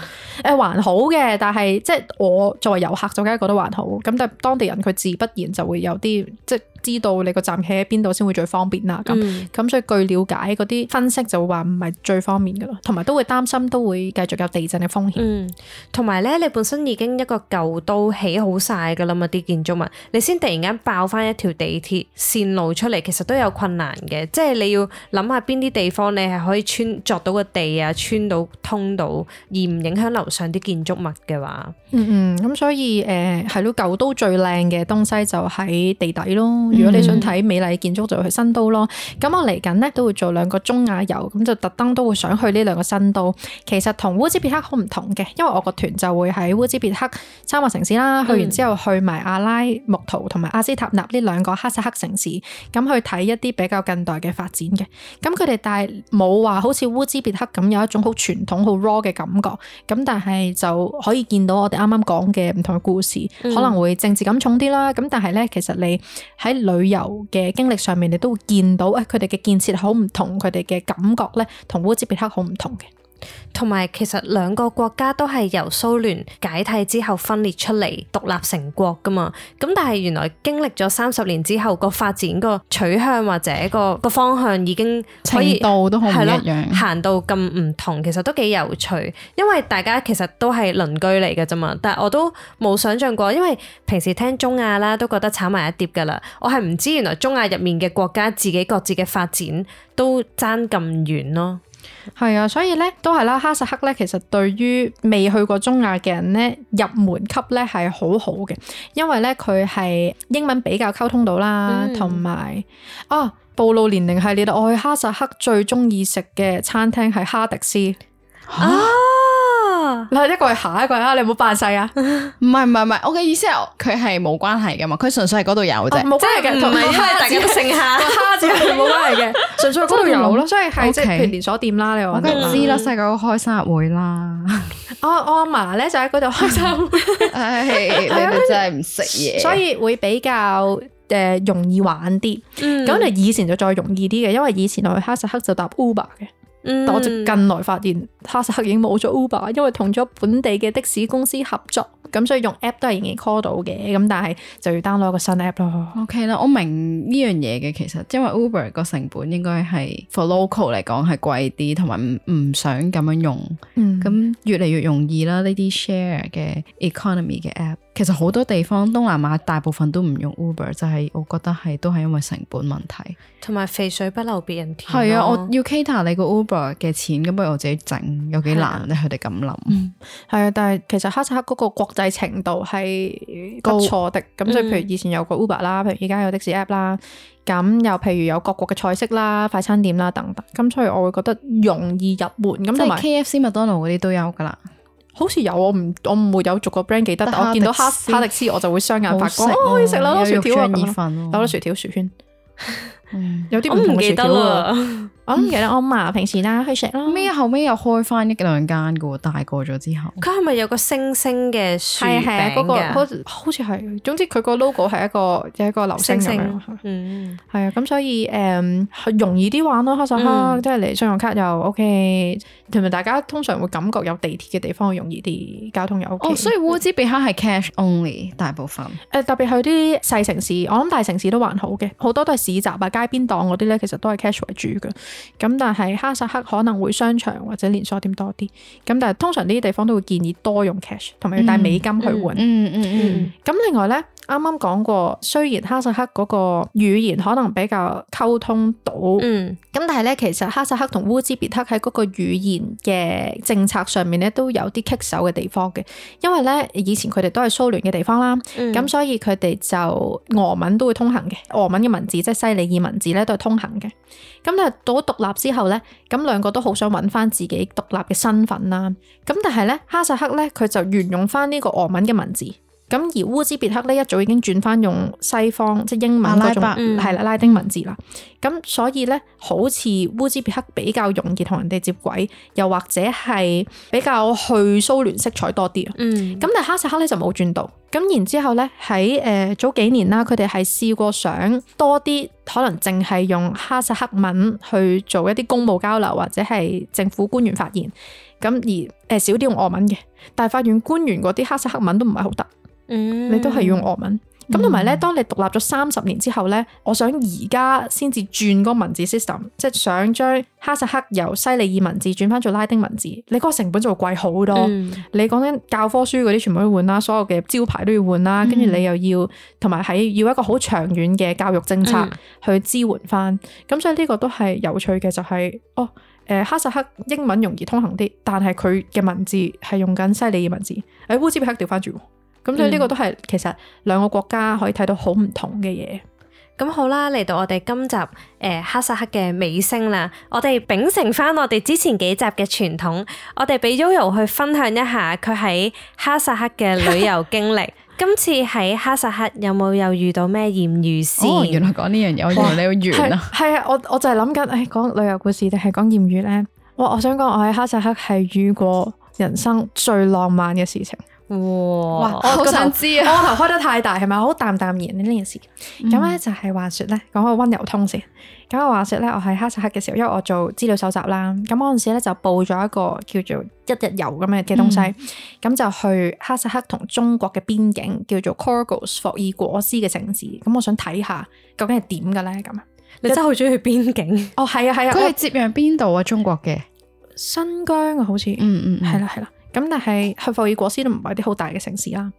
誒還好嘅，但係即係我作為遊客就梗係覺得還好。咁但係當地人佢自不然就會有啲即係知道你個站企喺邊度先會最方便啦。咁咁、嗯、所以據了解嗰啲分析就會話唔係最方便噶咯，同埋都會擔心都會繼續有地震嘅風險。嗯，同埋咧你本身已經一個舊都起好晒噶啦嘛啲建築物，你先突然間爆翻一條地鐵線路出嚟，其實都有困難嘅。即係你要諗下邊啲地方你係可以穿鑿到個地啊，穿到通到而唔影響樓上啲建築物嘅話，嗯嗯，咁所以誒係咯，舊都最靚嘅東西就喺地底咯。如果你想睇美麗建築，就去新都咯。咁我嚟緊咧都會做兩個中亞遊，咁就特登都會想去呢兩個新都。其實同烏茲別克好唔同嘅，因為我個團就會喺烏茲別克三個城市啦，去完之後去埋阿拉木圖同埋阿斯塔納呢兩個哈薩克城市，咁去睇一啲比較近代嘅發展嘅。咁佢哋但係冇話好似烏茲別克咁有一種好傳統好 raw 嘅感覺。咁但係就可以見到我哋啱啱講嘅唔同嘅故事，嗯、可能會政治感重啲啦。咁但係咧，其實你喺旅遊嘅經歷上面，你都會見到誒，佢哋嘅建設好唔同，佢哋嘅感覺咧，同烏茲別克好唔同嘅。同埋其實兩個國家都係由蘇聯解體之後分裂出嚟獨立成國噶嘛，咁但係原來經歷咗三十年之後個發展個取向或者個個方向已經可以程度都好唔一樣，行到咁唔同，其實都幾有趣，因為大家其實都係鄰居嚟嘅啫嘛，但係我都冇想象過，因為平時聽中亞啦都覺得炒埋一碟噶啦，我係唔知原來中亞入面嘅國家自己各自嘅發展都爭咁遠咯。係啊，所以咧都係啦，哈薩克咧其實對於未去過中亞嘅人咧入門級咧係好好嘅，因為咧佢係英文比較溝通到啦，同埋、嗯、啊暴露年齡系列，我去哈薩克最中意食嘅餐廳係哈迪斯啊。嗱，一個係下一個係啊，你唔好扮細啊！唔係唔係唔係，我嘅意思係佢係冇關係噶嘛，佢純粹係嗰度有啫，冇關係嘅，同埋大家都剩下個蝦字係冇關係嘅，純粹嗰度有咯，所以係即係譬如連鎖店啦，你話我梗係知啦，細個開生日會啦，我我阿嫲咧就喺嗰度開生日會，唉，你哋真係唔識嘢，所以會比較誒容易玩啲。咁你以前就再容易啲嘅，因為以前我去哈薩克就搭 Uber 嘅。嗯、但我就近來發現哈薩克已經冇咗 Uber， 因為同咗本地嘅的，的士公司合作，咁所以用 app 都係仍然 call 到嘅，咁但係就要 download 個新 app 咯。OK 啦，我明呢樣嘢嘅，其實因為 Uber 個成本應該係 for local 嚟講係貴啲，同埋唔唔想咁樣用，咁、嗯、越嚟越容易啦。呢啲 share 嘅 economy 嘅 app， 其實好多地方東南亞大部分都唔用 Uber， 就係我覺得係都係因為成本問題，同埋肥水不流別人田。係啊，我要 cater 你個 Uber嘅錢，咁不如我自己整，有幾難咧？佢哋咁諗，係、嗯、啊，但係其實哈薩克嗰個國際程度係不錯的。咁所以譬如以前有個 Uber 啦，譬如而家有的士 app 啦，咁又譬如有各國嘅菜式啦、快餐店啦等等。咁所以我會覺得容易入門。咁同埋 K F C、麥當勞嗰啲都有噶啦。好似有，我唔我唔會有逐個 brand 記得，但我見到哈哈迪斯我就會雙眼發光，可以食啦，薯條啊，有好多薯條薯圈。有啲唔同嘅薯條啊，我唔記得我嫲平時啦去食咯。咩後尾又開翻一兩間嘅喎，大個咗之後。佢係咪有個星星嘅薯餅㗎？係係嗰個好好似係，總之佢個 logo 係一個有一個流星咁樣。嗯，係啊，咁所以誒、嗯、容易啲玩咯，哈薩克、嗯、即係你信用卡又 OK，同埋大家通常會感覺有地鐵嘅地方容易啲，交通又 OK。哦，所以烏茲別克係 cash only 大部分。誒特別去啲細城市，我諗大城市都還好嘅，好多都係市集啊、街邊檔嗰啲咧，其實都係 cash 為主嘅。咁但係哈薩克可能會商場或者連鎖店多啲，咁但係通常呢啲地方都會建議多用 cash， 同埋要帶美金去換。嗯嗯嗯。咁、嗯、另外咧，啱啱講過，雖然哈薩克嗰個語言可能比較溝通到，嗯，咁但係咧，其實哈薩克同烏茲別克喺嗰個語言嘅政策上面咧，都有啲棘手嘅地方嘅，因為咧以前佢哋都係蘇聯嘅地方啦，咁、嗯、所以佢哋就俄文都會通行嘅，俄文嘅文字即係西里爾文字咧都係通行嘅。咁但係到獨立之後咧，咁兩個都好想揾翻自己獨立嘅身份啦。咁但係咧，哈薩克咧佢就沿用翻呢個俄文嘅文字。咁而烏茲別克咧一早已經轉翻用西方即係英文嗰種係啦、嗯、拉丁文字啦，咁所以咧好似烏茲別克比較容易同人哋接軌，又或者係比較去蘇聯色彩多啲啊。嗯，咁但係哈薩克咧就冇轉到，咁然之後咧喺誒早幾年啦，佢哋係試過想多啲可能淨係用哈薩克文去做一啲公務交流或者係政府官員發言，咁而誒少啲用俄文嘅，但係發現官員嗰啲哈薩克文都唔係好得。嗯，你都係用俄文，咁同埋咧，當你獨立咗三十年之後咧，我想而家先至轉嗰個文字 system， 即係想將哈薩克由西里爾文字轉翻做拉丁文字，你嗰個成本就會貴好多。嗯、你講緊教科書嗰啲全部都要換啦，所有嘅招牌都要換啦，跟住、嗯、你又要同埋喺要一個好長遠嘅教育政策去支援翻，咁、嗯、所以呢個都係有趣嘅，就係、是、哦，誒、呃、哈薩克英文容易通行啲，但係佢嘅文字係用緊西里爾文字，誒烏茲別克調翻轉。咁所以呢個都係其實兩個國家可以睇到好唔同嘅嘢。咁好啦，嚟到我哋今集誒、呃、哈薩克嘅尾聲啦，我哋秉承翻我哋之前幾集嘅傳統，我哋俾 Yoyo 去分享一下佢喺哈薩克嘅旅遊經歷。今次喺哈薩克有冇又遇到咩艷遇先？哦，原來講呢樣嘢，我以為你要完啦。係啊，我我就係諗緊，誒講旅遊故事定係講艷遇咧？哇！我想講，我喺哈薩克係遇過人生最浪漫嘅事情。哇！我好想知啊！我頭開得太大係咪？好淡淡然呢件事。咁咧、嗯、就係話說咧，講個溫柔通先。咁我話說咧，我喺哈薩克嘅時候，因為我做資料搜集啦，咁嗰陣時咧就報咗一個叫做一日遊咁嘅嘅東西，咁、嗯、就去哈薩克同中國嘅邊境，叫做 Korgos 霍爾果斯嘅城市。咁我想睇下究竟係點嘅咧？咁啊，你真係好中意去邊境？哦，係啊，係啊，佢係接壤邊度啊？中國嘅新疆啊，好似，嗯嗯，係啦係啦。咁但係去霍爾果斯都唔係啲好大嘅城市啦，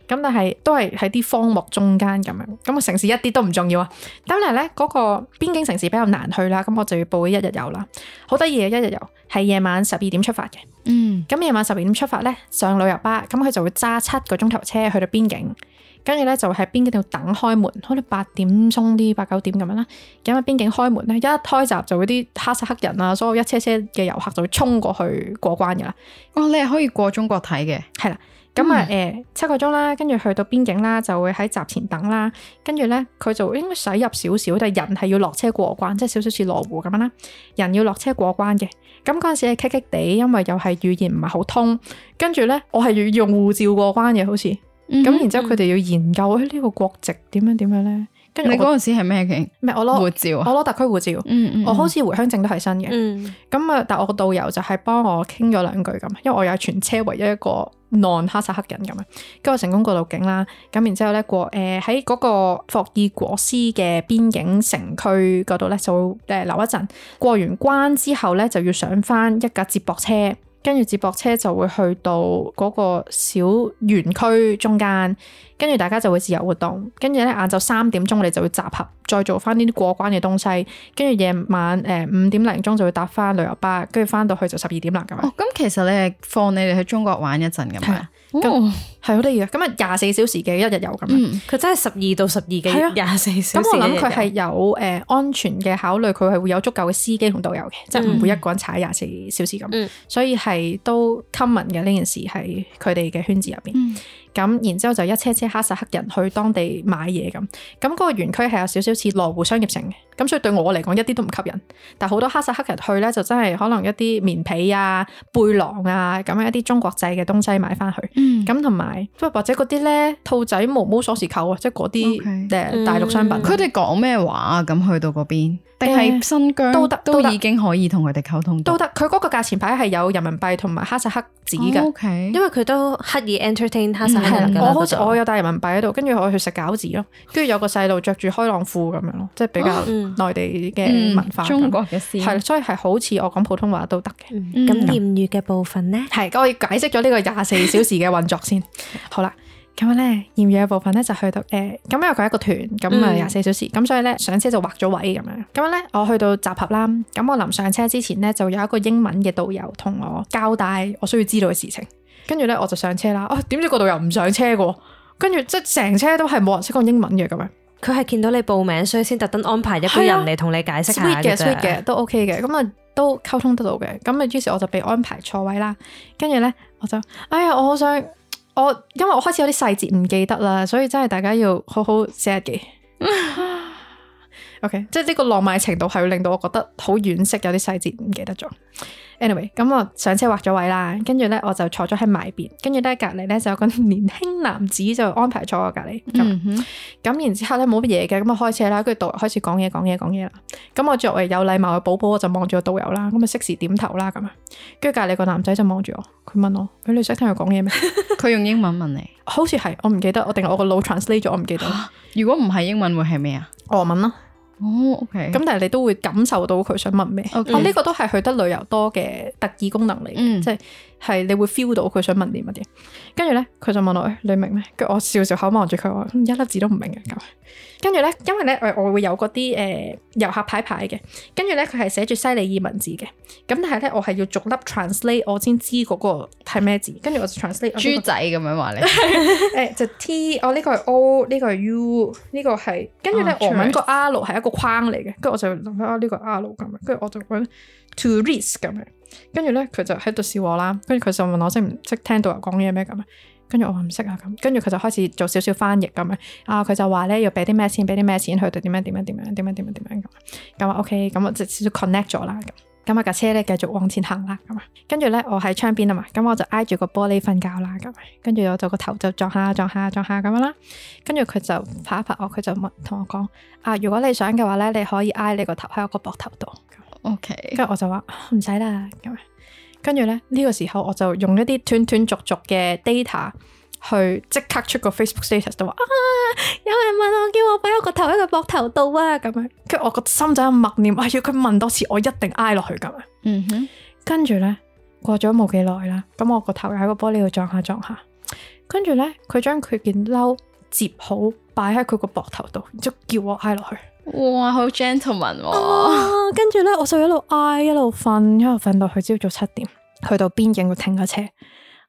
咁但係都係喺啲荒漠中間咁樣，咁個城市一啲都唔重要啊。咁但係咧嗰個邊境城市比較難去啦，咁我就要報一日遊啦。好得意嘅一日遊，係夜晚十二點出發嘅。嗯，咁夜晚十二點出發咧，上旅遊巴，咁佢就會揸七個鐘頭車去到邊境。跟住咧就喺邊境度等開門，可能八點鐘啲八九點咁樣啦。咁喺邊境開門咧，一開閘就嗰啲哈薩克人啊，所有一車車嘅遊客就會衝過去過關噶啦。哦，你係可以過中國睇嘅，係啦。咁啊誒七個鐘啦，跟住去到邊境啦，就會喺閘前等啦。跟住咧佢就應該駛入少少，但係人係要落車過關，即係少少似羅湖咁樣啦。人要落車過關嘅。咁嗰陣時係棘棘地，因為又係語言唔係好通。跟住咧我係要用護照過關嘅，好似。咁、嗯、然之後佢哋要研究呢、呢個國籍點樣點樣咧？跟住你嗰陣時係咩嘅？咩？我攞護照啊！我攞特區護照。嗯嗯、我好似回鄉證都係新嘅。咁啊、嗯，但係我個導遊就係幫我傾咗兩句咁，因為我又係全車唯一一個 non 哈薩克人咁啊。跟住我成功過到境啦。咁然之後咧過誒喺嗰個霍爾果斯嘅邊境城區嗰度咧就誒留一陣。過完關之後咧就要上翻一架接駁車。跟住接駁車就會去到嗰個小園區中間，跟住大家就會自由活動。跟住咧晏晝三點鐘你就會集合，再做翻呢啲過關嘅東西。跟住夜晚誒五點零鐘就會搭翻旅遊巴，跟住翻到去就十二點啦咁樣。哦，咁其實你係放你哋去中國玩一陣咁樣。咁係係好得意嘅。咁啊廿四小時嘅一日遊咁樣，佢、嗯、真係十二到十二嘅廿四小時。咁我諗佢係有誒、呃、安全嘅考慮，佢係會有足夠嘅司機同導遊嘅，嗯、即係唔會一個人踩廿四小時咁。嗯、所以係都 common 嘅呢件事喺佢哋嘅圈子入邊。咁、嗯、然之後就一車車哈薩克人去當地買嘢咁。咁嗰個園區係有少少似羅湖商業城嘅。咁所以對我嚟講一啲都唔吸引。但係好多哈薩克人去咧，就真係可能一啲棉被啊、背囊啊咁樣一啲中國製嘅東西買翻去。咁同埋或者嗰啲咧兔仔毛毛鎖匙扣啊，即係嗰啲誒大陸商品。佢哋講咩話啊？咁去到嗰邊？定係新疆都得，都已經可以同佢哋溝通到。都得，佢嗰個價錢牌係有人民幣同埋哈薩克紙嘅。Oh, okay. 因為佢都刻意 entertain 哈薩克人。我好似我有帶人民幣喺度，跟住我去食餃子咯，跟住有個細路着住開浪褲咁樣咯，即係比較內地嘅文化。嗯、中國嘅詩係，所以係好似我講普通話都得嘅。咁艷遇嘅部分咧，係我要解釋咗呢個廿四小時嘅運作先。好啦。咁樣咧，艷遇嘅部分咧就去到誒，咁、呃、因為佢係一個團，咁啊廿四小時，咁、嗯、所以咧上車就劃咗位咁樣。咁樣咧，我去到集合啦，咁我臨上車之前咧就有一個英文嘅導遊同我交代我需要知道嘅事情。跟住咧我就上車啦，啊點知個導遊唔上車嘅，跟住即係成車都係冇人識講英文嘅咁樣。佢係見到你報名，所以先特登安排一個人嚟同你解釋下嘅啫。sweet 嘅 sweet 嘅都 OK 嘅，咁啊都溝通得到嘅。咁啊於是我就被安排坐位啦。跟住咧我就，哎呀我好想。我因為我開始有啲細節唔記得啦，所以真係大家要好好寫日記。OK， 即係呢個浪漫程度係會令到我覺得好惋惜，有啲細節唔記得咗。Anyway， 咁我上車劃咗位啦，跟住咧我就坐咗喺埋邊，跟住咧隔籬咧就有個年輕男子就安排坐我隔籬。咁、嗯、哼然之後咧冇乜嘢嘅，咁我開車啦，跟住導遊開始講嘢講嘢講嘢啦。咁我作為有禮貌嘅寶寶，我就望住個導遊啦，咁啊適時點頭啦咁啊。跟住隔籬個男仔就望住我，佢問我：誒你識聽佢講嘢咩？佢用英文問你？好似係，我唔記得，我定係我個腦 translate 咗，我唔記得。如果唔係英文會係咩啊？俄文咯。哦、oh，OK，咁但係你都會感受到佢想問咩？哦 Okay，呢、啊這個都係去得旅遊多嘅特異功能嚟嘅，嗯、即係係你會 feel 到佢想問啲乜嘢。跟住咧，佢就問我：誒，你明咩？跟住我笑笑口望住佢話：一粒字都唔明嘅咁。跟住咧，因為咧，我會有嗰啲誒遊客牌牌嘅，跟住咧佢係寫住西里爾文字嘅，咁但係咧我係要逐粒 translate 我先知嗰個係咩字，跟住我就 translate 豬仔咁樣話你，誒就 T， 哦呢個係 O， 呢個係 U， 呢個係，跟住咧俄文個 R 係一個框嚟嘅，跟住我就諗翻啊呢個 R 咁樣，跟住我就揾 tourist 咁樣，跟住咧佢就喺度笑我啦，跟住佢就問我識唔識聽導遊講嘢咩咁樣。跟住我話唔識啊咁，跟住佢就開始做少少翻譯咁樣啊，佢就話咧要俾啲咩錢，俾啲咩錢去到點樣點樣點樣點樣點樣點樣咁，咁啊 OK，咁我就少少 connect 咗啦咁，咁啊架車咧繼續往前行啦咁啊，跟住咧我喺窗邊啊嘛，咁我就挨住個玻璃瞓覺啦咁，跟住我就個頭就撞下撞下撞下咁樣啦，跟住佢就拍一拍我，佢就問同我講啊，如果你想嘅話咧，你可以挨你個頭喺我個膊頭度 ，OK，跟住我就話唔使啦咁。跟住咧呢個時候我就用一啲斷斷續續嘅 data 去即刻出個 Facebook status 都話啊有人問我叫我擺我個頭喺個膊頭度啊咁樣，跟住我個心就喺度默念，哎呀佢問多次我一定挨落去咁樣。嗯哼，跟住咧過咗冇幾耐啦，咁我個頭又喺個玻璃度撞下撞下，跟住咧佢將佢件褸摺好擺喺佢個膊頭度，然之後叫我挨落去。哇，好 gentleman 喎！啊，跟住咧，我就一路挨一路瞓，一路瞓到去朝早七點，去到邊境度停咗車。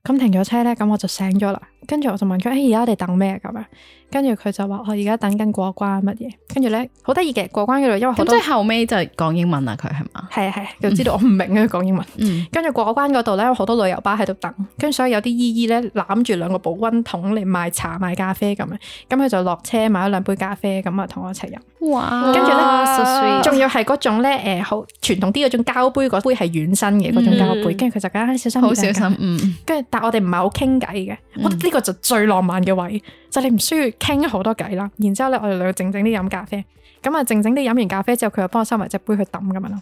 咁停咗車咧，咁我就醒咗啦。跟住我就問佢：誒、欸，而家我哋等咩咁樣？跟住佢就話：我而家等緊過關乜嘢？跟住咧，好得意嘅過關嗰度，因為好多即係後尾就講英文啦，佢係嘛？係啊係，就知道我唔明啊，佢講英文。跟住、嗯、過關嗰度咧，好多旅遊巴喺度等，跟住所以有啲姨姨咧攬住兩個保溫桶嚟賣茶賣咖啡咁樣，咁佢就落車買咗兩杯咖啡，咁啊同我一齊飲。哇！跟住咧，仲要係嗰種咧，誒，好傳統啲嗰種膠杯，嗰杯係軟身嘅嗰種膠杯，跟住佢就講小心，好小心，嗯。跟住，但係我哋唔係好傾偈嘅，我覺得呢個就最浪漫嘅位，就你唔需要傾好多偈啦。然之後咧，我哋兩個靜靜啲飲咖啡，咁啊靜靜啲飲完咖啡之後，佢又幫我收埋隻杯去抌咁樣咯。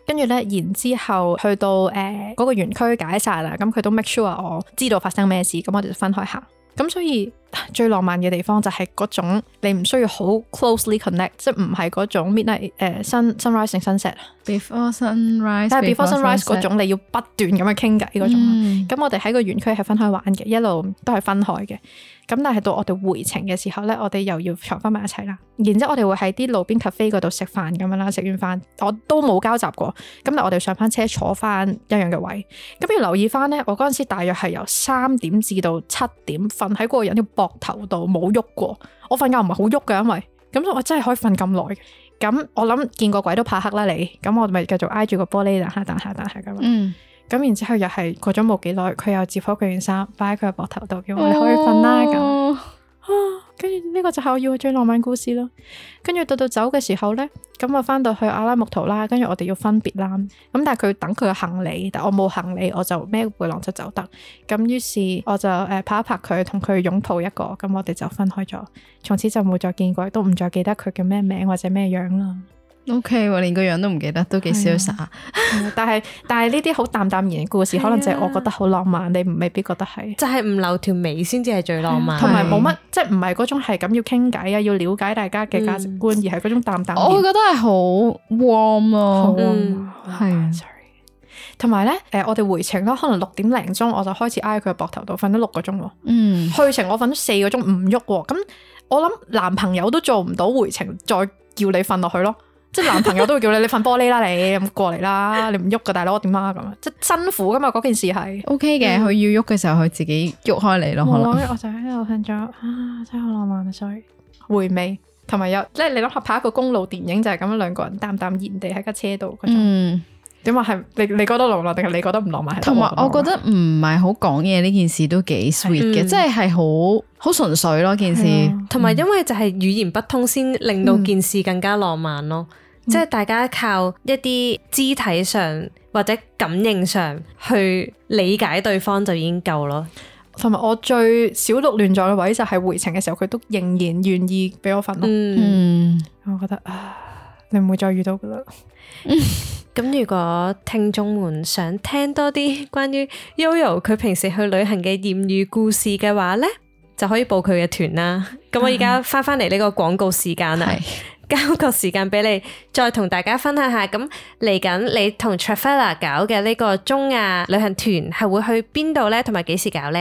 跟住咧，然之後去到誒嗰、呃那個園區解散啦，咁佢都 make sure 我知道發生咩事，咁我哋就分開行。咁所以最浪漫嘅地方就係嗰種你唔需要好 closely connect， 即係唔係嗰種 midnight 誒 sun sunrise 定 sunset。Before sunrise，但係 before sunrise 嗰種你要不斷咁樣傾偈嗰種。咁、嗯、我哋喺個園區係分開玩嘅，一路都係分開嘅。咁但係到我哋回程嘅時候咧，我哋又要坐翻埋一齊啦。然之後我哋會喺啲路邊 cafe 嗰度食飯咁樣啦，食完飯我都冇交集過。咁但係我哋上翻車坐翻一樣嘅位。咁要留意翻咧，我嗰陣時大約係由三點至到七點瞓喺嗰個人嘅膊頭度冇喐過。我瞓覺唔係好喐嘅，因為咁我真係可以瞓咁耐。咁我諗見過鬼都怕黑啦你。咁我咪繼續挨住個玻璃，等下等下等下咁樣。嗯。咁然之後又係過咗冇幾耐，佢又接好佢件衫，擺喺佢個膊頭度，叫我你可以瞓啦咁。啊，跟住呢個就係我要嘅最浪漫故事咯。跟住到到走嘅時候咧，咁我翻到去阿拉木圖啦，跟住我哋要分別啦。咁但係佢等佢嘅行李，但我冇行李，我就孭背囊就走得。咁於是我就誒拍一拍佢，同佢擁抱一個，咁我哋就分開咗。從此就冇再見過，都唔再記得佢叫咩名或者咩樣啦。O K，我連個樣都唔記得，都幾瀟灑。但係但係呢啲好淡淡然嘅故事，可能就係我覺得好浪漫，你未必覺得係。就係唔留條尾先至係最浪漫，同埋冇乜，即係唔係嗰種係咁要傾偈啊，要了解大家嘅價值觀，嗯、而係嗰種淡淡。我會覺得係好 warm 咯，係啊。sorry。同埋咧，誒，我哋回程咯，可能六點零鐘我就開始挨佢個膊頭度，瞓咗六個鐘喎。嗯。去程我瞓咗四個鐘唔喐喎，咁我諗男朋友都做唔到回程再叫你瞓落去咯。即係男朋友都會叫你，你瞓玻璃啦，你咁過嚟啦，你唔喐噶大佬點啊咁啊，即係辛苦噶嘛嗰件事係。O K 嘅，佢、嗯、要喐嘅時候，佢自己喐開嚟咯。可能我就喺度瞓咗啊，真係好浪漫啊！所以回味同埋有，即係你諗下拍一個公路電影就係咁樣兩個人淡淡然地喺架車度嗰種。嗯，點話係你你覺得浪漫定係你覺得唔浪漫？同埋我覺得唔係好講嘢呢件事都幾 sweet 嘅，即係係好好純粹咯件事。同埋、嗯、因為就係語言不通，先令到件事更加浪漫咯。嗯即係大家靠一啲肢體上或者感應上去理解對方就已經夠咯。同埋我最小鹿亂撞嘅位就係回程嘅時候，佢都仍然願意俾我瞓咯。嗯，我覺得啊，你唔會再遇到噶啦。咁、嗯、如果聽眾們想聽多啲關於 Yoyo 佢平時去旅行嘅艷遇故事嘅話呢，就可以報佢嘅團啦。咁我而家翻翻嚟呢個廣告時間啦。交個時間俾你，再同大家分享下。咁嚟緊你同 Travella 搞嘅呢個中亞旅行團係會去邊度呢？同埋幾時搞呢？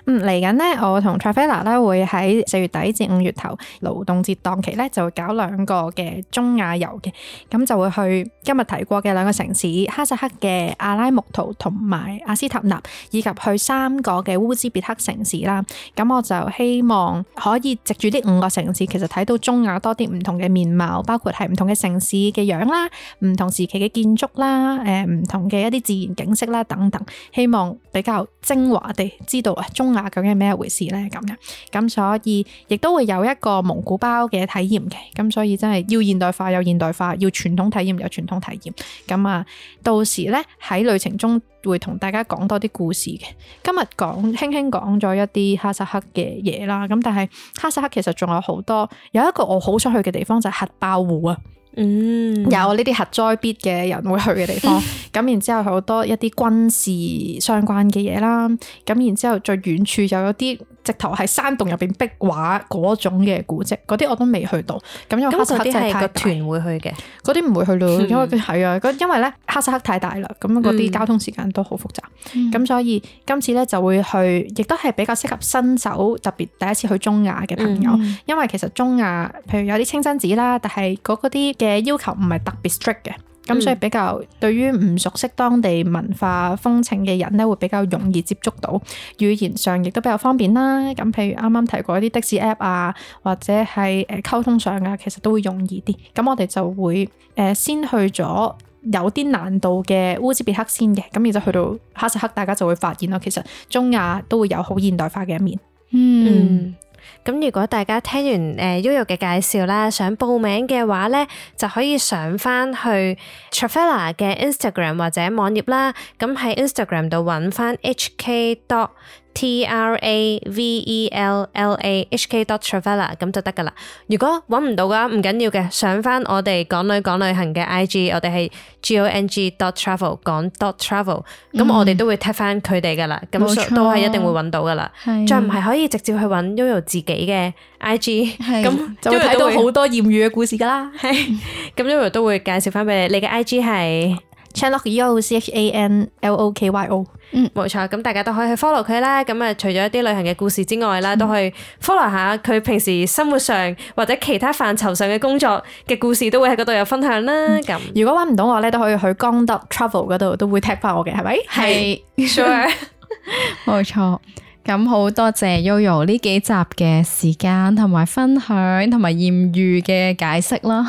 嗯，嚟緊呢，我同 Travella 咧會喺四月底至五月頭勞動節檔期咧，就會搞兩個嘅中亞遊嘅。咁就會去今日提過嘅兩個城市哈薩克嘅阿拉木圖同埋阿斯塔納，以及去三個嘅烏茲別克城市啦。咁我就希望可以藉住呢五個城市，其實睇到中亞多啲唔同嘅面貌，包括係唔同嘅城市嘅樣啦，唔同時期嘅建築啦，誒唔同嘅一啲自然景色啦等等，希望比較精華地知道啊中亞究竟係咩回事咧咁樣，咁所以亦都會有一個蒙古包嘅體驗嘅，咁所以真係要現代化有現代化，要傳統體驗有傳統體驗，咁啊到時咧喺旅程中會同大家講多啲故事嘅。今日講輕輕講咗一啲哈薩克嘅嘢啦，咁但係哈薩克其實仲有好多，有一個我好想去嘅地方就係核爆湖啊，嗯，有呢啲核災必嘅人會去嘅地方，咁然之後好多一啲軍事相關嘅嘢啦，咁然之後最遠處又有啲直頭係山洞入邊壁畫嗰種嘅古蹟，嗰啲我都未去到。咁因為哈薩克真係太大，個團會去嘅，嗰啲唔會去咯，嗯、因為係啊，因為咧哈薩克太大啦，咁嗰啲交通時間都好複雜，咁、嗯、所以今次咧就會去，亦都係比較適合新手，特別第一次去中亞嘅朋友，嗯、因為其實中亞譬如有啲清真寺啦，但係嗰啲嘅要求唔係特別 strict 嘅。咁所以比較對於唔熟悉當地文化風情嘅人咧，會比較容易接觸到，語言上亦都比較方便啦。咁譬如啱啱提過一啲的士 app 啊，或者係誒溝通上啊，其實都會容易啲。咁我哋就會誒先去咗有啲難度嘅烏茲別克先嘅，咁然之後去到哈薩克，大家就會發現咯，其實中亞都會有好現代化嘅一面。嗯。嗯咁如果大家聽完誒 Yoyo 嘅介紹啦，想報名嘅話咧，就可以上翻去 Travella 嘅 Instagram 或者網頁啦。咁喺 Instagram 度揾翻 H K dot T R A V E L L A H K dot Travella 咁就得噶啦。如果揾唔到嘅話，唔緊要嘅，上翻我哋港女講旅行嘅 I G， 我哋係 G O N G dot travel 講 dot travel， 咁、嗯、我哋都會 tag 翻佢哋噶啦，咁都係一定會揾到噶啦。再唔係可以直接去揾 Yoyo 自己嘅 I G， 咁就會睇到好多艷遇嘅故事噶啦。係，咁 Yoyo 都會介紹翻俾你，你嘅 I G 係 Chanlokyo C H A N L O K Y O。嗯，冇錯，咁大家都可以去 follow 佢啦。咁啊，除咗一啲旅行嘅故事之外啦，嗯、都可以 follow 下佢平時生活上或者其他範疇上嘅工作嘅故事，都會喺嗰度有分享啦。咁、嗯、如果揾唔到我咧，都可以去江德 travel 嗰度，都會 tag 翻我嘅，係咪？係是，sure，冇錯。咁好多謝 Yoyo 呢幾集嘅時間同埋分享同埋艷遇嘅解釋啦。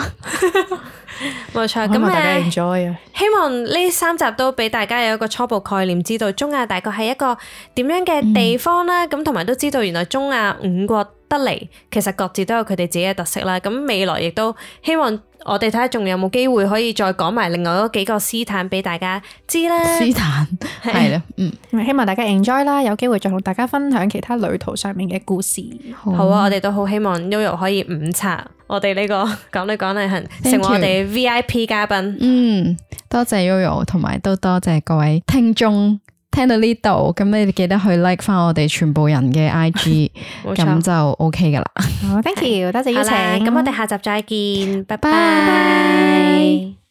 冇錯，咁希望大家 enjoy 啊！希望呢三集都俾大家有一個初步概念，知道中亞大概係一個點樣嘅地方啦。咁同埋都知道原來中亞五國得嚟，其實各自都有佢哋自己嘅特色啦。咁未來亦都希望我哋睇下仲有冇機會可以再講埋另外嗰幾個斯坦俾大家知啦。斯坦係啦，嗯，希望大家 enjoy 啦，有機會再同大家分享其他旅途上面嘅故事。好，好啊，我哋都好希望 Yoyo 可以五刷我哋呢、這個講嚟講嚟行，成為我哋 V I P 嘉賓。嗯，多謝 Yoyo， 同埋都多謝各位聽眾聽到呢度，咁你哋記得去 like 翻我哋全部人嘅 I G， 咁就 OK 噶啦。好 ，thank you，多謝邀請。咁我哋下集再見，拜拜。